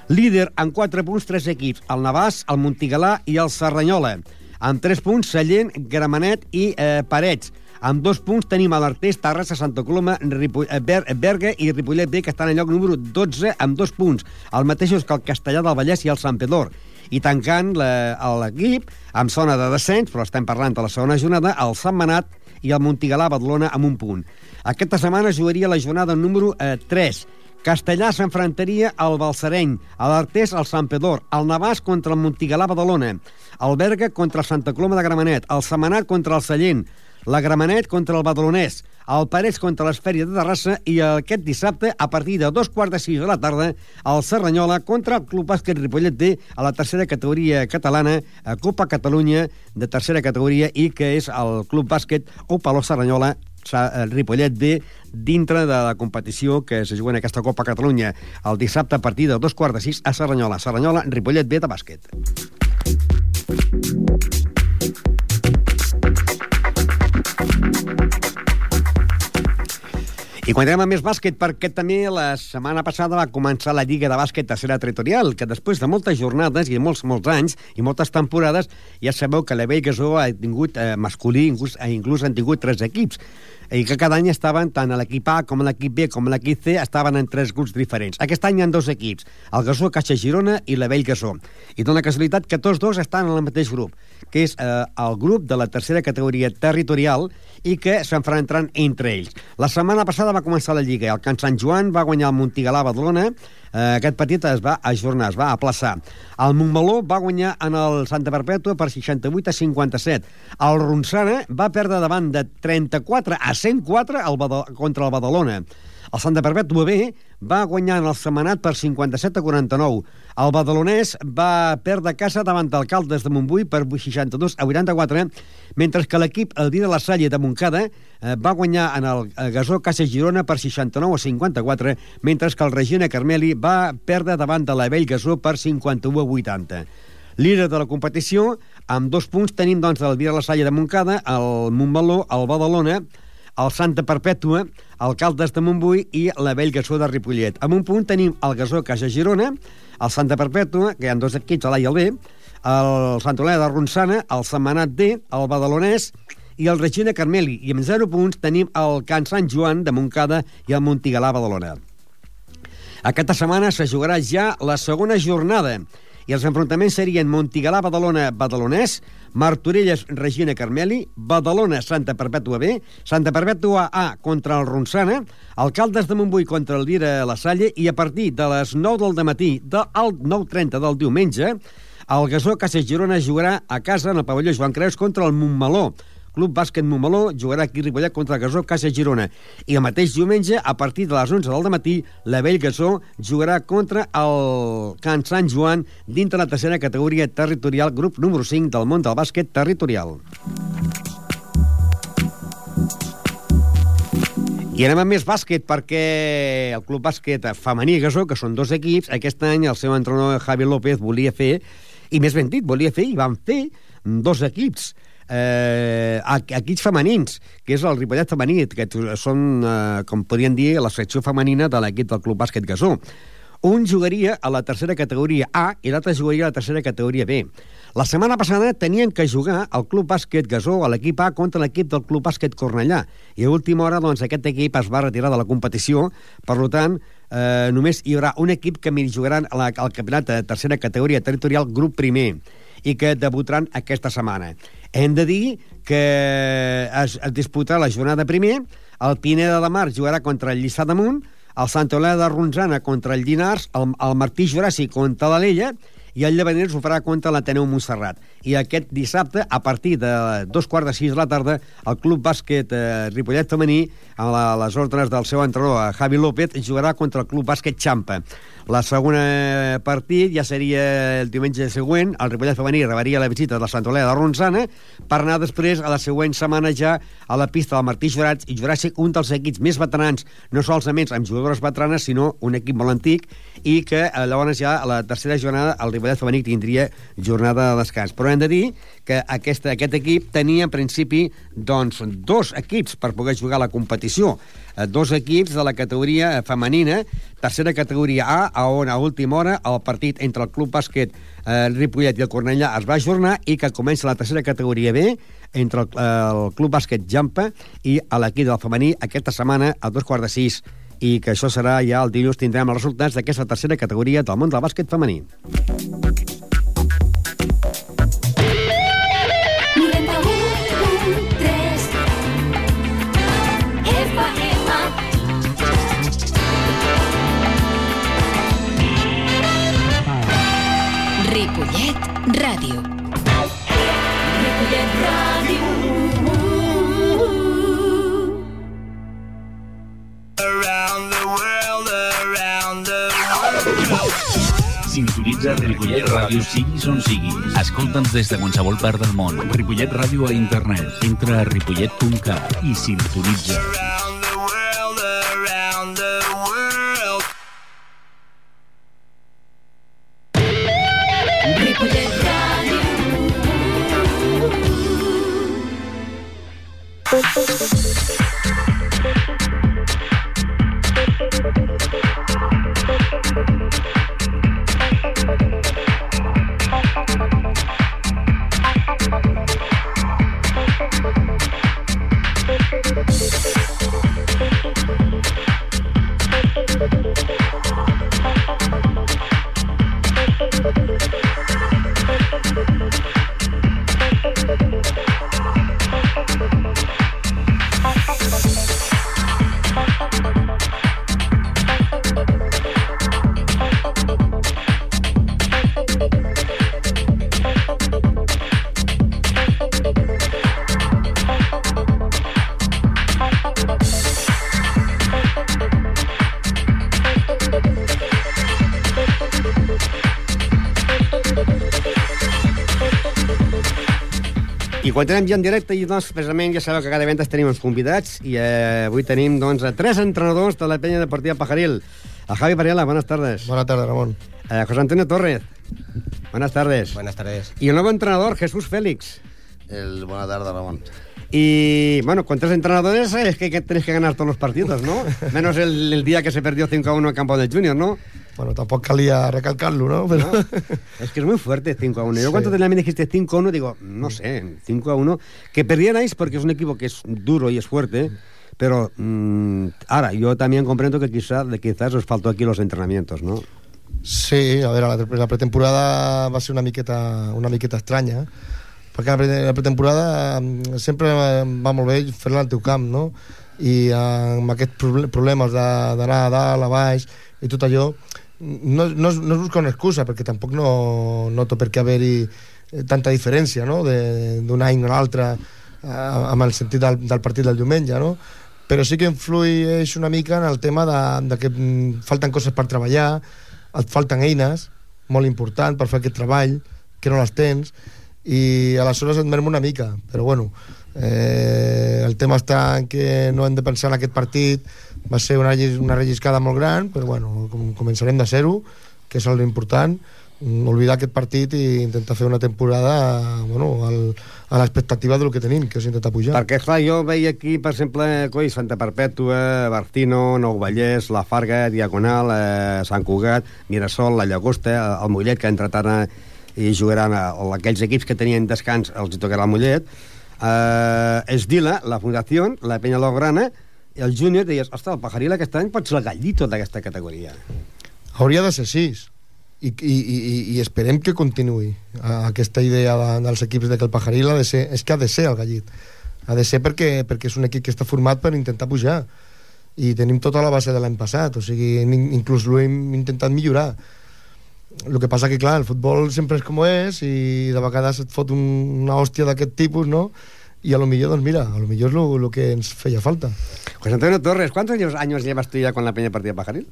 B: Líder amb 4 punts 3 equips, el Navàs, el Montigalà i el Cerdanyola. Amb 3 punts Sallent, Gramenet i Parets. Amb 2 punts tenim a l'Artés, Terrassa, Santa Coloma, Berga i Ripollet B, que estan en lloc número 12 amb 2 punts. El mateix que el Castellà del Vallès i el Sant Pedor. I tancant l'equip amb zona de descens, però estem parlant de la segona jornada, el Sentmenat i el Montigalà Badalona amb 1 punt. Aquesta setmana jugaria la jornada número 3. Castellà s'enfrontaria al Balsareny, a l'Artés al Sant Pedor, el Navàs contra el Montigalà Badalona, el Berga contra el Santa Coloma de Gramenet, el Sentmenat contra el Sallent, la Gramenet contra el Badalonès, el Parets contra l'Esfèria de Terrassa i aquest dissabte, a partir de 2:45 de la tarda, el Cerdanyola contra el Club Bàsquet Ripollet B a la tercera categoria catalana, a Copa Catalunya de tercera categoria, i que és el Club Bàsquet Opaló Cerdanyola Ripollet B dintre de la competició que se juga en aquesta Copa Catalunya el dissabte a partir de 2:45 a Cerdanyola. Cerdanyola, Ripollet B de bàsquet. I quan anem a més bàsquet, perquè també la setmana passada va començar la Lliga de Bàsquet Tercera Territorial, que després de moltes jornades i molts anys i moltes temporades, ja sabeu que la Vell Gasó ha tingut masculí, inclús han tingut 3 equips, i que cada any estaven, tant a l'equip A com a l'equip B com a l'equip C, estaven en 3 grups diferents. Aquest any hi ha 2 equips, el Gasó Caixa Girona i la Vell Gasó. I dona casualitat que tots dos estan en el mateix grup, que és el grup de la tercera categoria territorial i que s'enfrontaran entre ells. La setmana passada va començar la Lliga. El Can Sant Joan va guanyar el Montigalà Badalona. Aquest partit es va ajornar, es va aplaçar. El Montmeló va guanyar en el Santa Perpètua per 68-57. El Ronçana va perdre davant de 34-104 contra el Badalona. El Santa Perpètua B va guanyar en el Sentmenat per 57-49. El badalonès va perdre a casa davant del Caldes de Montbui per 62-84, mentre que l'equip El Dia de la Salle de Montcada va guanyar en el Gasó Caixa Girona per 69-54, mentre que el Regina Carmeli va perdre davant de la Vell Gasó per 51-80. Líder de la competició, amb 2 punts, tenim doncs el Dia de la Salle de Montcada, el Montmeló, el Badalona, el Santa Perpètua, el Caldes de Montbui i la Vell Gasó de Ripollet. Amb 1 punt tenim el Gasó Caixa Girona, el Santa Perpètua, que hi ha 2 equips, l'A i el B, el Sant Olea de Ronçana, el Sentmenat D, el Badalonès i el Regina Carmeli. I amb 0 punts tenim el Can Sant Joan de Montcada i el Montigalà Badalona. Aquesta setmana se jugarà ja la segona jornada i els enfrontaments serien Montigalà Badalona Badalonès, Martorelles Regina Carmeli, Badalona Santa Perpètua B, Santa Perpètua A contra el Ronçana, el Caldes de Montbui contra el Dia de la Salle, i a partir de les 9 del matí al 9:30 del diumenge el Gasó Caixa Girona jugarà a casa en el pavelló Joan Creus contra el Montmeló. Club Bàsquet Montmeló jugarà aquí a Ripollet contra el Gasó Caixa Girona. I el mateix diumenge, a partir de les 11 del matí, la Vell Gasó jugarà contra el Can Sant Joan dintre la tercera categoria territorial, grup número 5 del món del bàsquet territorial. I anem a més bàsquet, perquè el Club Bàsquet Femení Gasó, que són 2 equips, aquest any el seu entrenador Javi López volia fer, i més ben dit, volia fer, i van fer 2 equips. Equips femenins, que és el Ripollet femení, que són, com podríem dir, la secció femenina de l'equip del Club Bàsquet Gasó. Un jugaria a la tercera categoria A i l'altre jugaria a la tercera categoria B. La setmana passada tenien que jugar el Club Bàsquet Gasó, a l'equip A, contra l'equip del Club Bàsquet Cornellà. I a última hora, doncs, aquest equip es va retirar de la competició. Per tant, només hi haurà un equip que jugaran al campionat de tercera categoria territorial, grup primer, i que debutaran aquesta setmana. Hem de dir que es disputarà la jornada primer, el Pineda de Mar jugarà contra el Lliçà d'Amunt, el Santa Olea de Ronçana contra el Llinars, el Martí Juràssic contra l'Alella i el Llevaners ho farà contra l'Ateneu Montserrat. I aquest dissabte, a partir de 2:45 de la tarda, el Club Bàsquet Ripollet femení, a les ordres del seu entrenador Javi López, jugarà contra el Club Bàsquet Xampa. La segona partit ja seria el diumenge següent. El Ripollet femení rebria la visita de la Santa Olea de Ronçana per anar després a la següent setmana ja a la pista del Martí Juràssic, un dels equips més veterans, no solament amb jugadores veteranes, sinó un equip molt antic, i que llavors ja a la tercera jornada el Ripollet femení tindria jornada de descans. Però hem de dir que aquest equip tenia en principi doncs 2 equips per poder jugar a la competició. 2 equips de la categoria femenina, tercera categoria A, on a última hora el partit entre el Club Bàsquet Ripollet i el Cornellà es va ajornar i que comença la tercera categoria B entre el Club Bàsquet Jampa i l'equip del femení aquesta setmana a 5:15, i que això serà ja el dilluns. Tindrem els resultats d'aquesta tercera categoria del món del bàsquet femení.
G: Ripollet Ràdio. Ripollet Ràdio.
H: Around the world, around the world. Sintonitza Ripollet Ràdio siguis on siguis. Escolta'ns des de qualsevol part del món. Ripollet Ràdio a internet. Entra a ripollet.cat i sintonitza. Around the world, around the world.
G: Ripollet Ràdio.
B: I quan tenim ja en directe, i doncs, precisament, ja sabeu que cada vegada tenim uns convidats, i avui tenim, doncs, a 3 entrenadors de la Peña Deportiva Pajaril. A Javi Varela, buenas tardes.
I: Buenas tardes, Ramón.
B: José Antonio Torres, buenas tardes.
J: Buenas tardes.
B: Y el nuevo entrenador, Jesús Félix.
J: Buenas tardes, Ramón.
B: Y, bueno, con 3 entrenadores es que tenéis que ganar todos los partidos, ¿no? Menos el día que se perdió 5-1 en campo del Junior, ¿no?
I: Bueno, tampoco calía recalcarlo, ¿no? Pero...
B: ¿No? Es que es muy fuerte 5-1. Yo cuando me dijiste 5-1, digo, no sé, 5-1. Que perdierais porque es un equipo que es duro y es fuerte, pero ahora, yo también comprendo que quizás os faltó aquí los entrenamientos, ¿no?
I: Sí, a ver, la pretemporada va a ser una miqueta estranya, perquè la pretemporada sempre va molt bé fer-la al teu camp, no? I amb aquests problemes d'anar a dalt, a baix i tot allò, no es busca una excusa, perquè tampoc no té per què haver-hi tanta diferència, no?, d'un any a l'altre amb el sentit del partit del diumenge, no? Però sí que influeix una mica en el tema de que falten coses per treballar, et falten eines molt importants per fer aquest treball, que no les tens, i aleshores et merma una mica, però bueno, el tema està en que no hem de pensar en aquest partit. Va ser una relliscada molt gran, però bueno, començarem de zero, que és l'important, oblidar aquest partit i intentar fer una temporada, bueno, a l'expectativa del que tenim, que és intentar pujar.
B: Perquè, clar, jo veia aquí, per exemple, Santa Perpètua, Barcino, Nou Vallès, La Farga, Diagonal, Sant Cugat, Mirasol, la Llagosta, el Mollet, que entre tant i jugaran aquells equips que tenien descans, els tocarà el Mollet, Esdila, la Fundació, la Peña Lograna, i el Júnior, deies, ostres, el Pajaril aquest any pot ser el gallito d'aquesta categoria.
I: Hauria de ser així, i esperem que continuï aquesta idea dels equips de que el Pajaril ha de ser, és que ha de ser el gallit, ha de ser perquè és un equip que està format per intentar pujar, i tenim tota la base de l'any passat, o sigui, inclús l'ho hem intentat millorar. El que passa que, clar, el futbol sempre és com és, i de vegades et fot una hòstia d'aquest tipus, no?, y a lo mejor, doncs mira, a lo mejor es lo que ens feia falta.
B: José Antonio Torres, ¿cuántos años llevas tú ya con la Peña Deportiva Pajaril?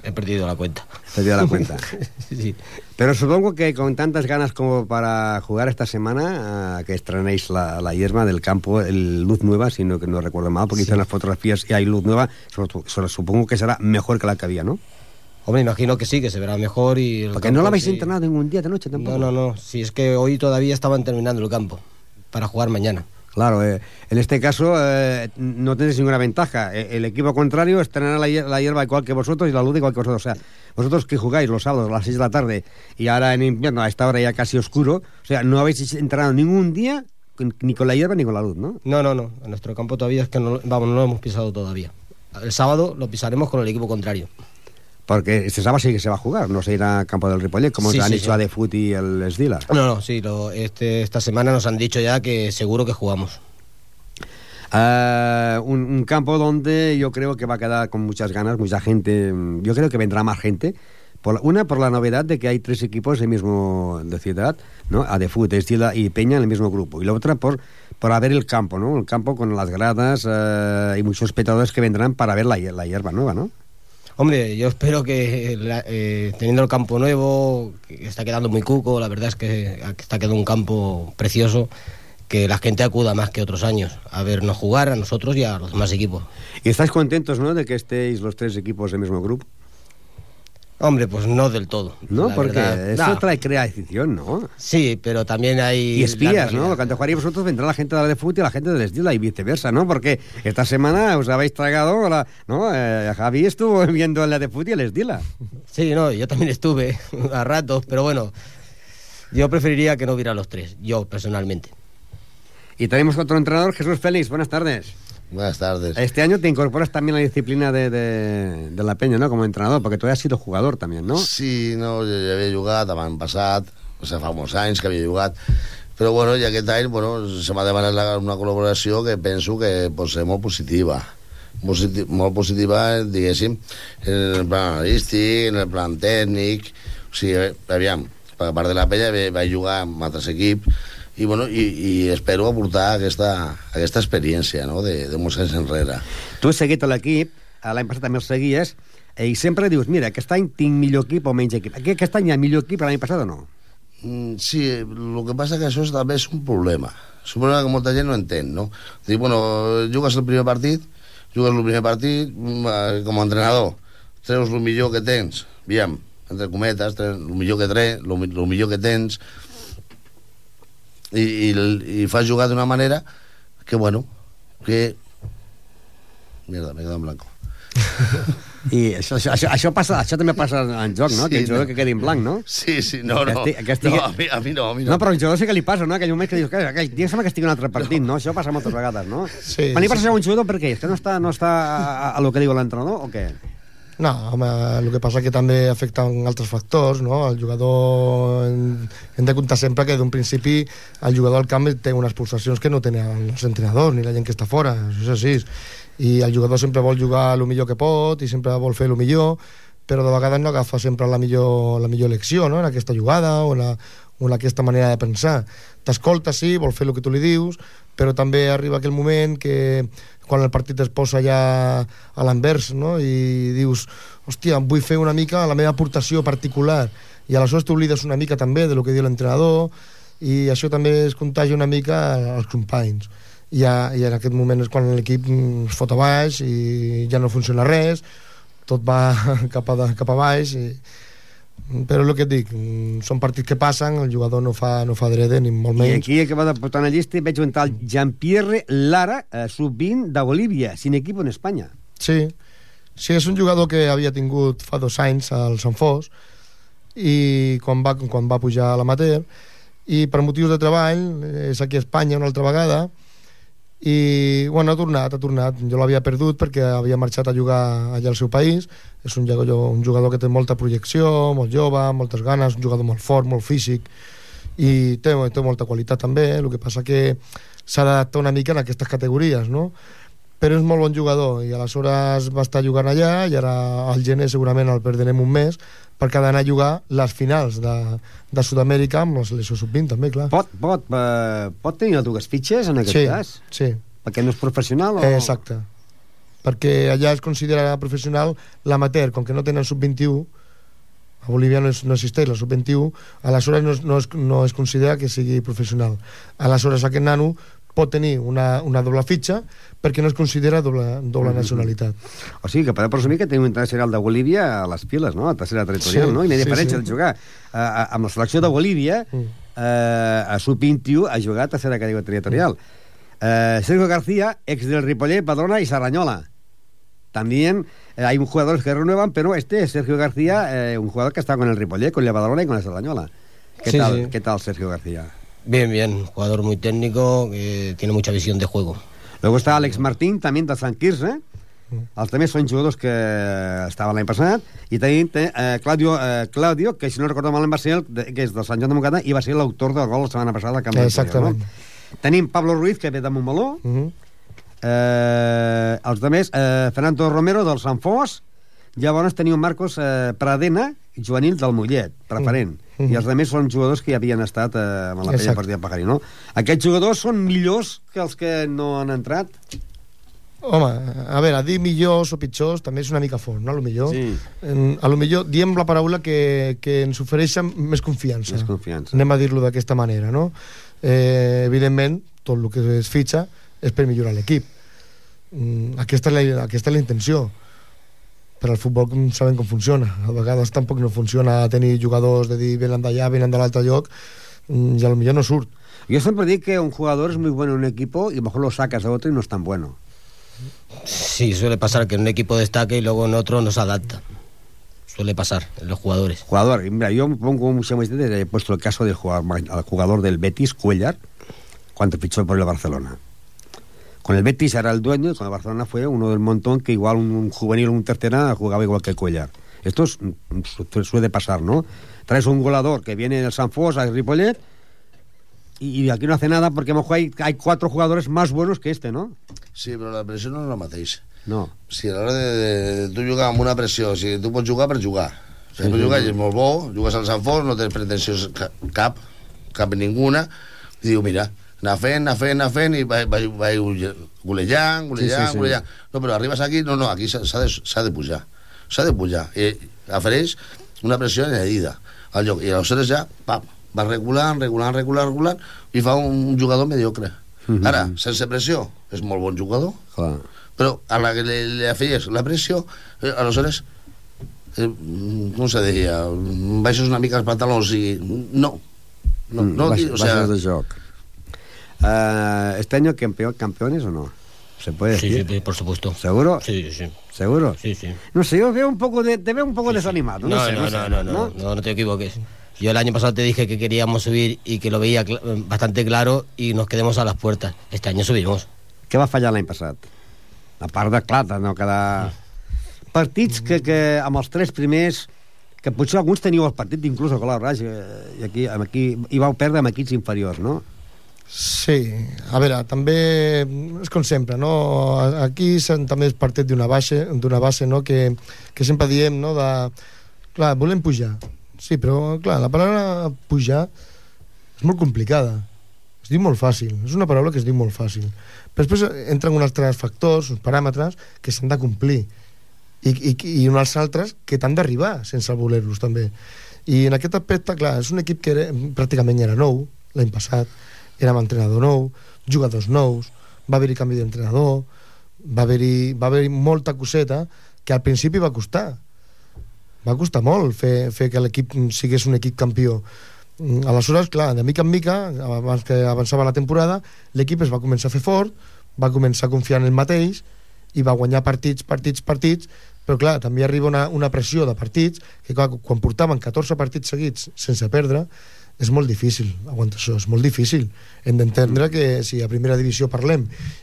J: He perdido la cuenta.
B: Sí. Pero supongo que con tantas ganas como para jugar esta semana, que estrenéis la hierba del campo, el Luz Nueva, si no recuerdo mal, porque hice unas fotografías y hay Luz Nueva, supongo que será mejor que la que había, ¿no?
J: Hombre, imagino que sí, que se verá mejor y...
B: Porque no la habéis entrenado ningún día de noche tampoco.
J: No, si es que hoy todavía estaban terminando el campo para jugar mañana.
B: Claro, en este caso no tenéis ninguna ventaja. El equipo contrario estrenará la hierba igual que vosotros y la luz igual que vosotros. O sea, vosotros que jugáis los sábados a las 6 de la tarde y ahora en invierno a esta hora ya casi oscuro, o sea, no habéis entrenado ningún día ni con la hierba ni con la luz, ¿no?
J: No. En nuestro campo todavía es que no lo hemos pisado todavía. El sábado lo pisaremos con el equipo contrario.
B: Porque este sábado sí que se va a jugar, no se irá a campo del Ripollet, como han hecho a De Fut y el Esdila.
J: No, sí, esta semana nos han dicho ya que seguro que jugamos.
B: Un campo donde yo creo que va a quedar con muchas ganas, mucha gente. Yo creo que vendrá más gente. Por la novedad de que hay 3 equipos de ciudad, ¿no? A De Fut, Esdila y Peña en el mismo grupo. Y la otra por ver el campo, ¿no? El campo con las gradas y muchos espectadores que vendrán para ver la hierba nueva, ¿no?
J: Hombre, yo espero que teniendo el campo nuevo, que está quedando muy cuco, la verdad es que está quedando un campo precioso, que la gente acuda más que otros años a vernos jugar, a nosotros y a los demás equipos.
B: ¿Y estáis contentos, no, de que estéis los 3 equipos del mismo grupo?
J: Hombre, pues no del todo.
B: No, porque eso crea afición, ¿no?
J: Sí, pero también hay...
B: Y espías, ¿no? Cuando jugaréis vosotros vendrá la gente de la de fútbol y la gente del Esdila y viceversa, ¿no? Porque esta semana os habéis tragado, ¿no? Javi estuvo viendo la de fútbol y el Esdila.
J: Sí, no, yo también estuve a ratos, pero bueno, yo preferiría que no hubiera los 3, yo personalmente.
B: Y tenemos otro entrenador, Jesús Félix, buenas tardes.
K: Buenas tardes.
B: Este año te incorporas también a la disciplina de la Peña, ¿no? Como entrenador, porque tú has sido jugador también, ¿no?
K: Sí, no, jo ja havia jugat l'any passat, o sigui, fa molts anys que havia jugat, però bueno, i aquest any se m'ha demanat una col·laboració que penso que pot ser molt positiva. Molt positiva, diguéssim, en el plan analístic, en el plan tècnic, o sigui, aviam, per part de la Peña vaig jugar amb altres equips, i, bueno, i espero aportar aquesta experiència, no?, de molts anys enrere.
B: Tu has seguit l'equip, l'any passat també el seguies, i sempre dius, mira, aquest any tinc millor equip o menys equip. Aquest any hi ha millor equip l'any passat o no?
K: Sí, el que passa que això també és un problema. És un problema que molta gent no entén, no? Dic, bueno, jugues el primer partit, com a entrenador, treus el millor que tens, aviam, entre cometes, el millor que tens, i fas jugar d'una manera que, bueno, que... Mierda, m'he quedat en blanco.
B: I això també passa en joc, no? Sí, que el jugador que quedi en blanc, no?
K: Sí, no. No, a mi no.
B: No, però el jugador sí que li passa, no? Aquell moment que dius, aquell dia sembla que estigui un altre partit, no? Això passa moltes vegades, no?
I: Sí.
B: Quan li passa a un jugador, per què? És que no està a lo que diu l'entrenador o què?
I: No, home, el que passa que també afecten altres factors, no? El jugador... Hem de comptar sempre que d'un principi el jugador al camp té unes pulsacions que no tenen els entrenadors ni la gent que està fora, això és així. I el jugador sempre vol jugar el millor que pot i sempre vol fer el millor, però de vegades no agafa sempre la millor elecció, no?, en aquesta jugada o en aquesta manera de pensar. T'escolta, sí, vol fer el que tu li dius, però també arriba aquell moment que quan el partit es posa ja a l'anvers, no?, i dius, hòstia, vull fer una mica la meva aportació particular, i aleshores t'oblides una mica també de lo que diu l'entrenador, i això també es contagia una mica als companys. I en aquest moment és quan l'equip es fot a baix i ja no funciona res, tot va cap a baix, però el que et dic, són partits que passen, el jugador no fa drede ni molt menys.
B: I aquí que va de portar una llista veig un tal Jean-Pierre Lara, sub-20 de Bolívia, sin equipo en Espanya.
I: Sí, és un jugador que havia tingut fa 2 anys al Sant Fos, i quan va pujar a l'amateur, i per motius de treball és aquí a Espanya una altra vegada, i bueno, ha tornat. Jo l'havia perdut perquè havia marxat a jugar allà al seu país. És un jugador que té molta projecció, molt jove, moltes ganes, un jugador molt fort, molt físic, i té molta qualitat també. El que passa que s'ha d'adaptar una mica en aquestes categories, no? Però és molt bon jugador, i aleshores va estar jugant allà, i ara al gener segurament el perdrem un mes, perquè ha d'anar a jugar les finals de Sud-amèrica amb la selecció sub-20 també, clar.
B: Pot tenir dues fitxes en aquest cas?
I: Sí.
B: Perquè no és professional?
I: Exacte. Perquè allà es considera professional l'amateur, com que no tenen sub-21, a Bolívia no existeix la sub-21, aleshores no es considera que sigui professional. Aleshores aquest nano pot tenir una doble fitxa perquè no es considera doble nacionalitat.
B: O sigui que podem presumir que tenim un internacional de Bolívia a les piles, no? A tercera territorial, no? I no hi ha diferència de jugar amb la selecció de Bolívia a sub-21 a jugar a tercera categoria territorial. Sergio García, ex del Ripollet, Badalona y Sarrañola. También hay jugadores que renuevan, pero Sergio García, un jugador que está con el Ripollet, con el Badalona y con el Sarrañola. ¿Qué tal Sergio García?
J: Bien, jugador muy técnico, que tiene mucha visión de juego.
B: Luego está Alex Martín, también de Sant Quirze. Els també són jugadors que estaven l'any passat. I tenim Claudio, que si no recordo malament va ser que és del Sant Joan de Montcada i va ser l'autor del gol la setmana passada.
I: Exactament.
B: No? Tenim Pablo Ruiz, que ve de Montmeló. Els altres, Fernando Romero, del Sant Fos. Llavors teniu Marcos Pradena, juvenil del Mollet, preferent. I els altres són jugadors que ja havien estat amb la pella partida Pajarí, no? Aquests jugadors són millors que els que no han entrat?
I: Home, a veure, dir millors o pitjors també és una mica fort, no? A lo millor diem la paraula que ens ofereixen més confiança. Anem a dir-lo d'aquesta manera, no? Evidentment, tot el que es fitxa és per millorar l'equip. Aquesta és la intenció. Però el futbol sabem com funciona. A vegades tampoc no funciona tenir jugadors de dir venen d'allà, venen de l'altre lloc, i a lo millor no surt.
B: Yo siempre digo que un jugador es muy bueno en un equipo y a lo mejor lo sacas de otro y no es tan bueno.
J: Sí, suele pasar que en un equipo destaque y luego en otro no se adapta. Suele pasar en los jugadores.
B: Mira, yo pongo mucha más he puesto el caso del jugador del Betis, Cuellar, cuando fichó por el Barcelona. Con el Betis era el dueño y con el Barcelona fue uno del montón que igual un juvenil o un tercera jugaba igual que Cuellar. Esto suele pasar, ¿no? Traes un goleador que viene del Sant Fos a Ripollet y aquí no hace nada porque a lo mejor hay 4 jugadores más buenos que este, ¿no?
K: Sí, però la pressió no és la mateixa.
B: No.
K: Si a l'hora de tu jugar amb una pressió, si tu pots jugar per jugar. Si pots jugar i és molt bo, jugues al Sant Fos, no tens pretensions cap ninguna, i diu, mira, anar fent i vaig golejant. No, però arribes aquí, no, aquí s'ha de pujar. S'ha de pujar. I ofereix una pressió añadida al lloc. I aleshores ja, va regulant i fa un jugador mediocre. Ara, sense pressió, és molt bon jugador, però a la que li afeies la pressió, aleshores, com se deia, baixes una mica els pantalons i... No,
B: baixes de joc. ¿Este año campeones o no? ¿Se puede decir?
J: Sí, por supuesto.
B: ¿Seguro?
J: Sí.
B: ¿Seguro?
J: Sí.
B: No sé, yo te veo un poco desanimado.
J: No te equivoques. Yo el año pasado te dije que queríamos subir y que lo veía bastante claro y nos quedemos a las puertas. Este año subimos.
B: Què va fallar l'any passat? A part de, clar, no quedar... Partits que amb els 3 primers, que potser alguns teníeu el partit inclús a Colau Raig, i aquí hi vau perdre amb equips inferiors, no?
I: Sí, a veure, també és com sempre, no? Aquí també és partit d'una base, no? que sempre diem, no? Clar, volem pujar. Sí, però, clar, la paraula pujar és molt complicada. Es diu molt fàcil. És una paraula que es diu molt fàcil. Però després entren uns altres factors, uns paràmetres, que s'han de complir. I uns altres que t'han d'arribar sense voler-los, també. I en aquest aspecte, clar, és un equip que pràcticament era nou, l'any passat. Érem entrenador nou, jugadors nous, va haver-hi canvi d'entrenador, va haver-hi molta coseta que al principi va costar. Va costar molt fer que l'equip sigués un equip campió. Aleshores, clar, de mica en mica, abans que avançava la temporada, l'equip es va començar a fer fort, va començar a confiar en el mateix i va guanyar partits, però clar, també arriba una pressió de partits que quan portaven 14 partits seguits sense perdre, és molt difícil aguantar això, és molt difícil. Hem d'entendre que si a primera divisió parlem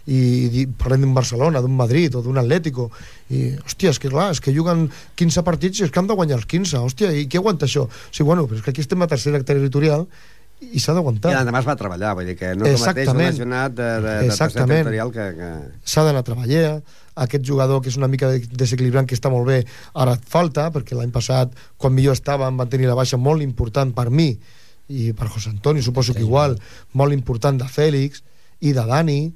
I: i parlem d'un Barcelona, d'un Madrid o d'un Atlético i, hòstia, és que clar, és que juguen 15 partits i és que han de guanyar els 15, hòstia, i qui aguanta això? Sí, bueno, però és que aquí estem a tercera territorial i s'ha d'aguantar.
B: I l'endemà es va treballar, vull dir que no és el mateix un lesionat de tercera territorial que...
I: S'ha d'anar a treballar, aquest jugador que és una mica desequilibrant, que està molt bé, ara et falta, perquè l'any passat, quan millor estàvem, van tenir la baixa molt important per mi, i per José Antonio, suposo que igual, molt important de Fèlix i de Dani,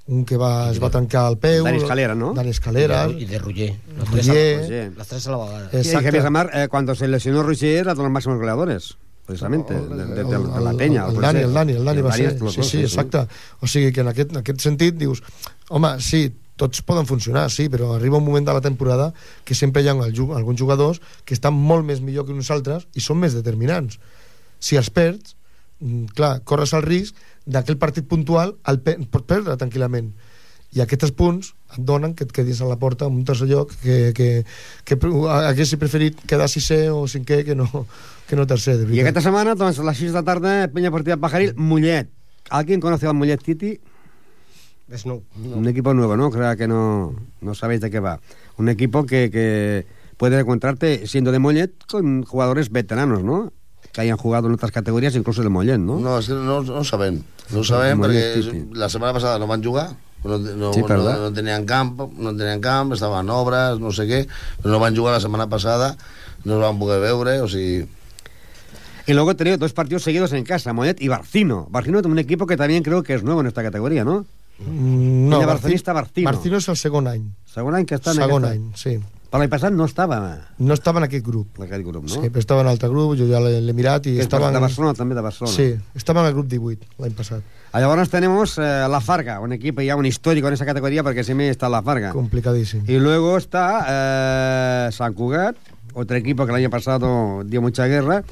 I: un que es va trencar el peu,
B: Dani Escalera, ¿no?
I: Dani Escalera
J: y de Roger, las tres a la vegada.
B: Exacto. Que Mar, cuando se lesionó Roger era de los máximos goleadores, precisamente, de la Peña.
I: El Dani va ser, sí, exacte. O sigui que en aquest sentit dius, home, sí, tots poden funcionar, sí, però arriba un moment de la temporada que sempre hi ha alguns jugadors que estan molt més millor que nosaltres i són més determinants. Si els perds, clar, corres el risc d'aquell partit puntual pot perdre tranquil·lament. i aquests punts et donen que et quedis a la porta en un tercer lloc que haguessi preferit quedar sisè o cinquè que no tercer, de veritat.
B: I aquesta setmana, doncs, a les 6 de la tarda, Peña Deportiva Pajaril, Mollet. ¿Alguien conoce al Mollet City?
J: No.
B: Un equipo nuevo, ¿no? Creo que no sabéis de qué va. Un equipo que puede encontrarte, siendo de Mollet, con jugadores veteranos, ¿no? Que hayan jugado en otras categorías, incluso de Mollet, ¿no?
K: No, és que no sabem. No sabem perquè la setmana passada no van jugar, no tenien camp, estaven en obres, no sé què, però no van jugar la setmana passada, no els van poder veure, o sigui...
B: Y luego he tenido 2 partidos seguidos en casa, Mollet y Barcino. Barcino es un equipo que también creo que es nuevo en esta categoría, ¿no?
I: No,
B: Barcino
I: és el segon any.
B: Segon any que està en
I: Segon
B: aquesta...
I: any, sí.
B: Per l'any passat no estava...
I: No estava en aquest grup.
B: En aquest grup, no?
I: Sí, però estava en altre grup, jo ja l'he mirat i estava...
B: De Barcelona, també de Barcelona.
I: Sí, estava en el grup 18 l'any passat.
B: Llavors tenemos La Farga, un equipo ya un histórico en esa categoría porque siempre está La Farga.
I: Complicadísimo.
B: Y luego está San Cugat, otro equipo que el año pasado dio mucha guerra.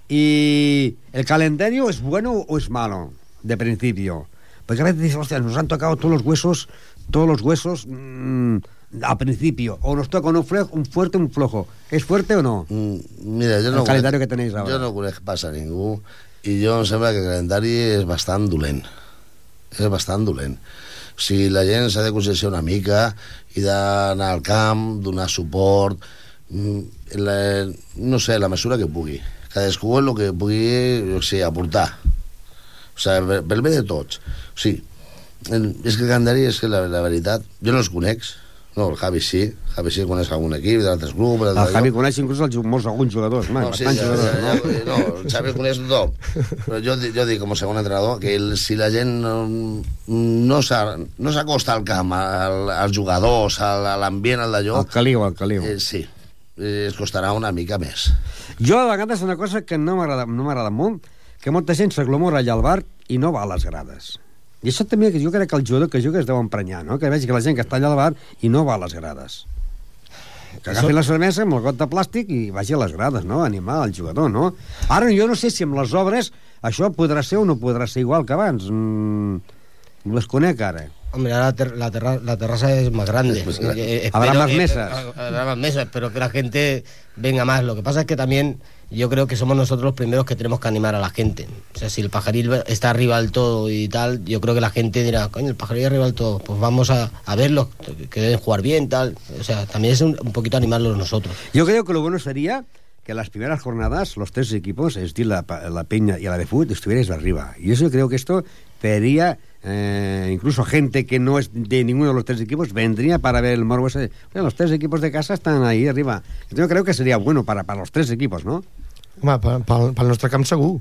B: Y el calendario es bueno o es malo, de principio. Porque a veces dices, hostia, nos han tocado todos los huesos al principio, o nos toca un fuerte o un flojo. ¿Es fuerte o no?
K: Mira,
B: el calendario que tenéis ahora.
K: Jo no conec pas a ningú i jo em sembla que el calendari és bastant dolent. És bastant dolent. O sigui, la gent s'ha de concienciar una mica i d'anar al camp, donar suport, no sé, la mesura que pugui. Cadascú el que pugui, o sigui, aportar. O sigui, pel bé de tots. O sigui, és que el calendari és que la veritat, jo no els conec. No, el Javi sí coneix algun equip d'altres grups.
B: El Javi coneix inclús alguns jugadors,
K: no, sí, el Javi coneix tothom. Però jo dic com a segon entrenador que si la gent no s'acosta al camp, als jugadors, a l'ambient, al d'allò...
B: Al caliu.
K: Sí, es costarà una mica més.
B: Jo a vegades una cosa que no m'agrada molt, que molta gent s'aglomora allà al bar i no va a les grades. I això també jo crec que el jugador que juga es deu emprenyar, no? Que vegi que la gent que està allà al bar i no va a les grades. Que agafi la cervesa amb el got de plàstic i vagi a les grades, no? Animar el jugador, no? Ara jo no sé si amb les obres això podrà ser o no podrà ser igual que abans. Ho desconec ara.
J: Hombre, ahora la terraza es más grande.
B: Habrá más mesas.
J: Habrá más mesas, pero que la gente venga más. Lo que pasa es que también yo creo que somos nosotros los primeros que tenemos que animar a la gente. O sea, si el Pajaril está arriba del todo y tal, yo creo que la gente dirá, coño, el Pajaril arriba del todo, pues vamos a verlos, que deben jugar bien, tal. O sea, también es un poquito animarlos nosotros.
B: Yo creo que lo bueno sería que las primeras jornadas los 3 equipos, es decir, la Peña y la de fútbol, estuvierais arriba. Y eso yo creo que esto pediría... incluso gente que no es de ninguno de los 3 equipos vendría para ver el morbo ese. Los 3 equipos de casa están ahí arriba. Yo creo que sería bueno para los 3 equipos, ¿no?
I: Home, pel nostre camp segur.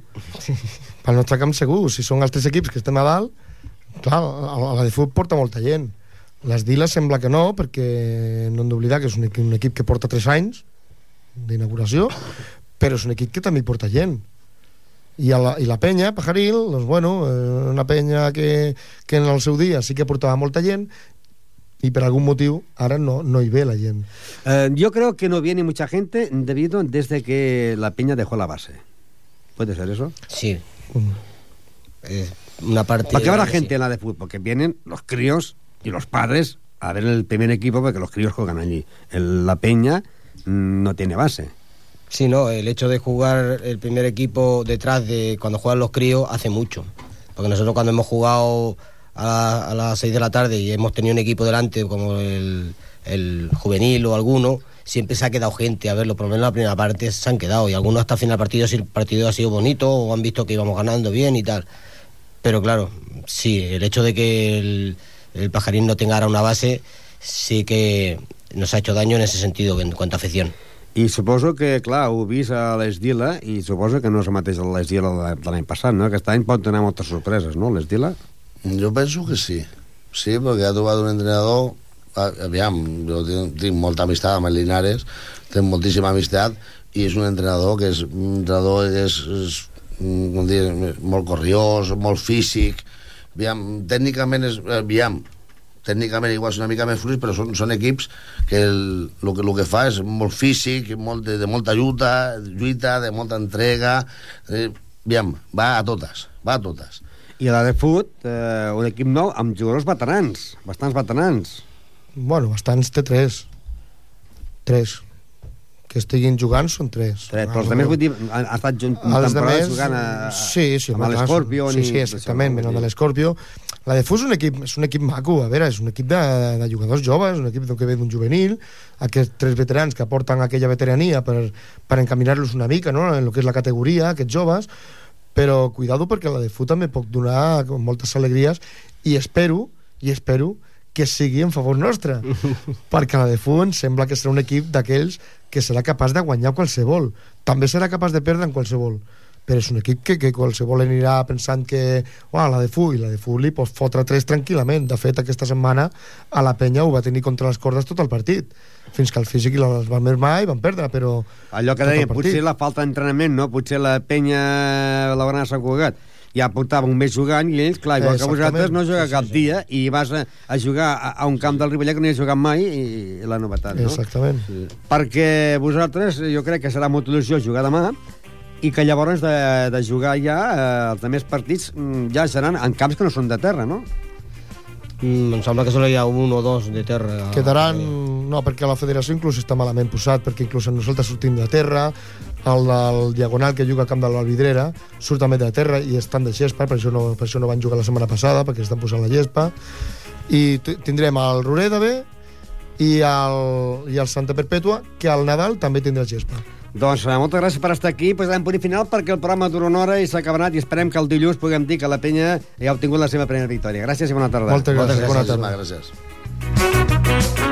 I: Pel nostre camp segur. Si són els 3 equips que estem a dalt, clar, la de futbol porta molta gent. Les Diles sembla que no, perquè no hem d'oblidar que és un equip que porta 3 anys d'inauguració, però és un equip que també hi porta gent. I la penya, Pajaril, doncs bueno, una penya que en el seu dia sí que portava molta gent y por algún motivo ahora no hi ve la gent.
B: Yo creo que no viene mucha gente desde que la Peña dejó la base. ¿Puede ser eso?
J: Sí. Una parte...
B: Porque habrá gente en la de fútbol, porque vienen los críos y los padres a ver el primer equipo porque los críos juegan allí. La Peña no tiene base.
J: Sí, no, el hecho de jugar el primer equipo detrás de cuando juegan los críos hace mucho. Porque nosotros cuando hemos jugado a las 6 de la tarde y hemos tenido un equipo delante como el juvenil o alguno, siempre se ha quedado gente a verlo, por lo menos en la primera parte se han quedado, y algunos hasta el final del partido, si el partido ha sido bonito o han visto que íbamos ganando bien y tal. Pero claro, sí, el hecho de que el Pajarín no tenga ahora una base sí que nos ha hecho daño en ese sentido, en cuanto a afición.
B: I suposo que, clar, ho vist a l'Esdila i suposo que no és el mateix a l'Esdila de l'any passat, no? Aquest any pot tenir moltes sorpreses, no, l'Esdila?
K: Jo penso que sí. Sí, perquè ha trobat un entrenador... Aviam, jo tinc molta amistat amb el Linares, tinc moltíssima amistat, i és un entrenador que és un entrenador com dir, molt corriós, molt físic. Aviam, tècnicament tècnicament igual és una mica més fluix, però són equips que el que fa és molt físic, de molta lluita, de molta entrega. Aviam, va a totes.
B: I la de Fut, un equip nou amb jugadors veterans, bastants veterans.
I: Bueno, bastants té 3 que estiguin jugant són 3.
B: Però els altres, vull dir, han estat temporades jugant amb l'Escorpio.
I: Sí, exactament, venant de l'Escorpio. La de Fut és un equip maco, a veure, és un equip de jugadors joves, un equip que ve d'un juvenil, aquests 3 veterans que aporten aquella veterania per encaminar-los una mica, no?, en el que és la categoria, aquests joves, però cuidado perquè la de Fut també pot donar moltes alegries i espero que sigui en favor nostre perquè la de Fut em sembla que serà un equip d'aquells que serà capaç de guanyar qualsevol, també serà capaç de perdre en qualsevol, però és un equip que qualsevol anirà pensant que la de Fut li pot fotre 3 tranquil·lament. De fet, aquesta setmana a la penya ho va tenir contra les cordes tot el partit, fins que el físic i les van mermar i van perdre, però
B: allò que deia, potser la falta d'entrenament, no? Potser la penya la Granada Sant Cugat ja portava un mes jugant i ells, clar, igual que vosaltres no juga cap dia i vas a jugar a un camp del Ripollet que no hi has jugat mai i la novetat, no?
I: Exactament.
B: Sí. Perquè vosaltres, jo crec que serà molta il·lusió jugar demà i que llavors de jugar ja els altres partits ja seran en camps que no són de terra, no?
J: Em sembla que solo hi ha 1 o 2 de terra.
I: Quedaran... No, perquè la federació inclús està malament posat, perquè inclús nosaltres sortim de terra, el diagonal que juga al camp de l'Alvidrera surt també de terra i estan de gespa, per això no van jugar la setmana passada, perquè estan posant la gespa. I tindrem el Roreda B i el Santa Perpètua, que al Nadal també tindrà gespa.
B: Doncs moltes gràcies per estar aquí. Posarem punt final perquè el programa dura una hora i s'ha acabat i esperem que el dilluns puguem dir que la penya ja ha obtingut la seva primera victòria. Gràcies i bona tarda.
I: Moltes gràcies. Bona tarda.
K: Gràcies.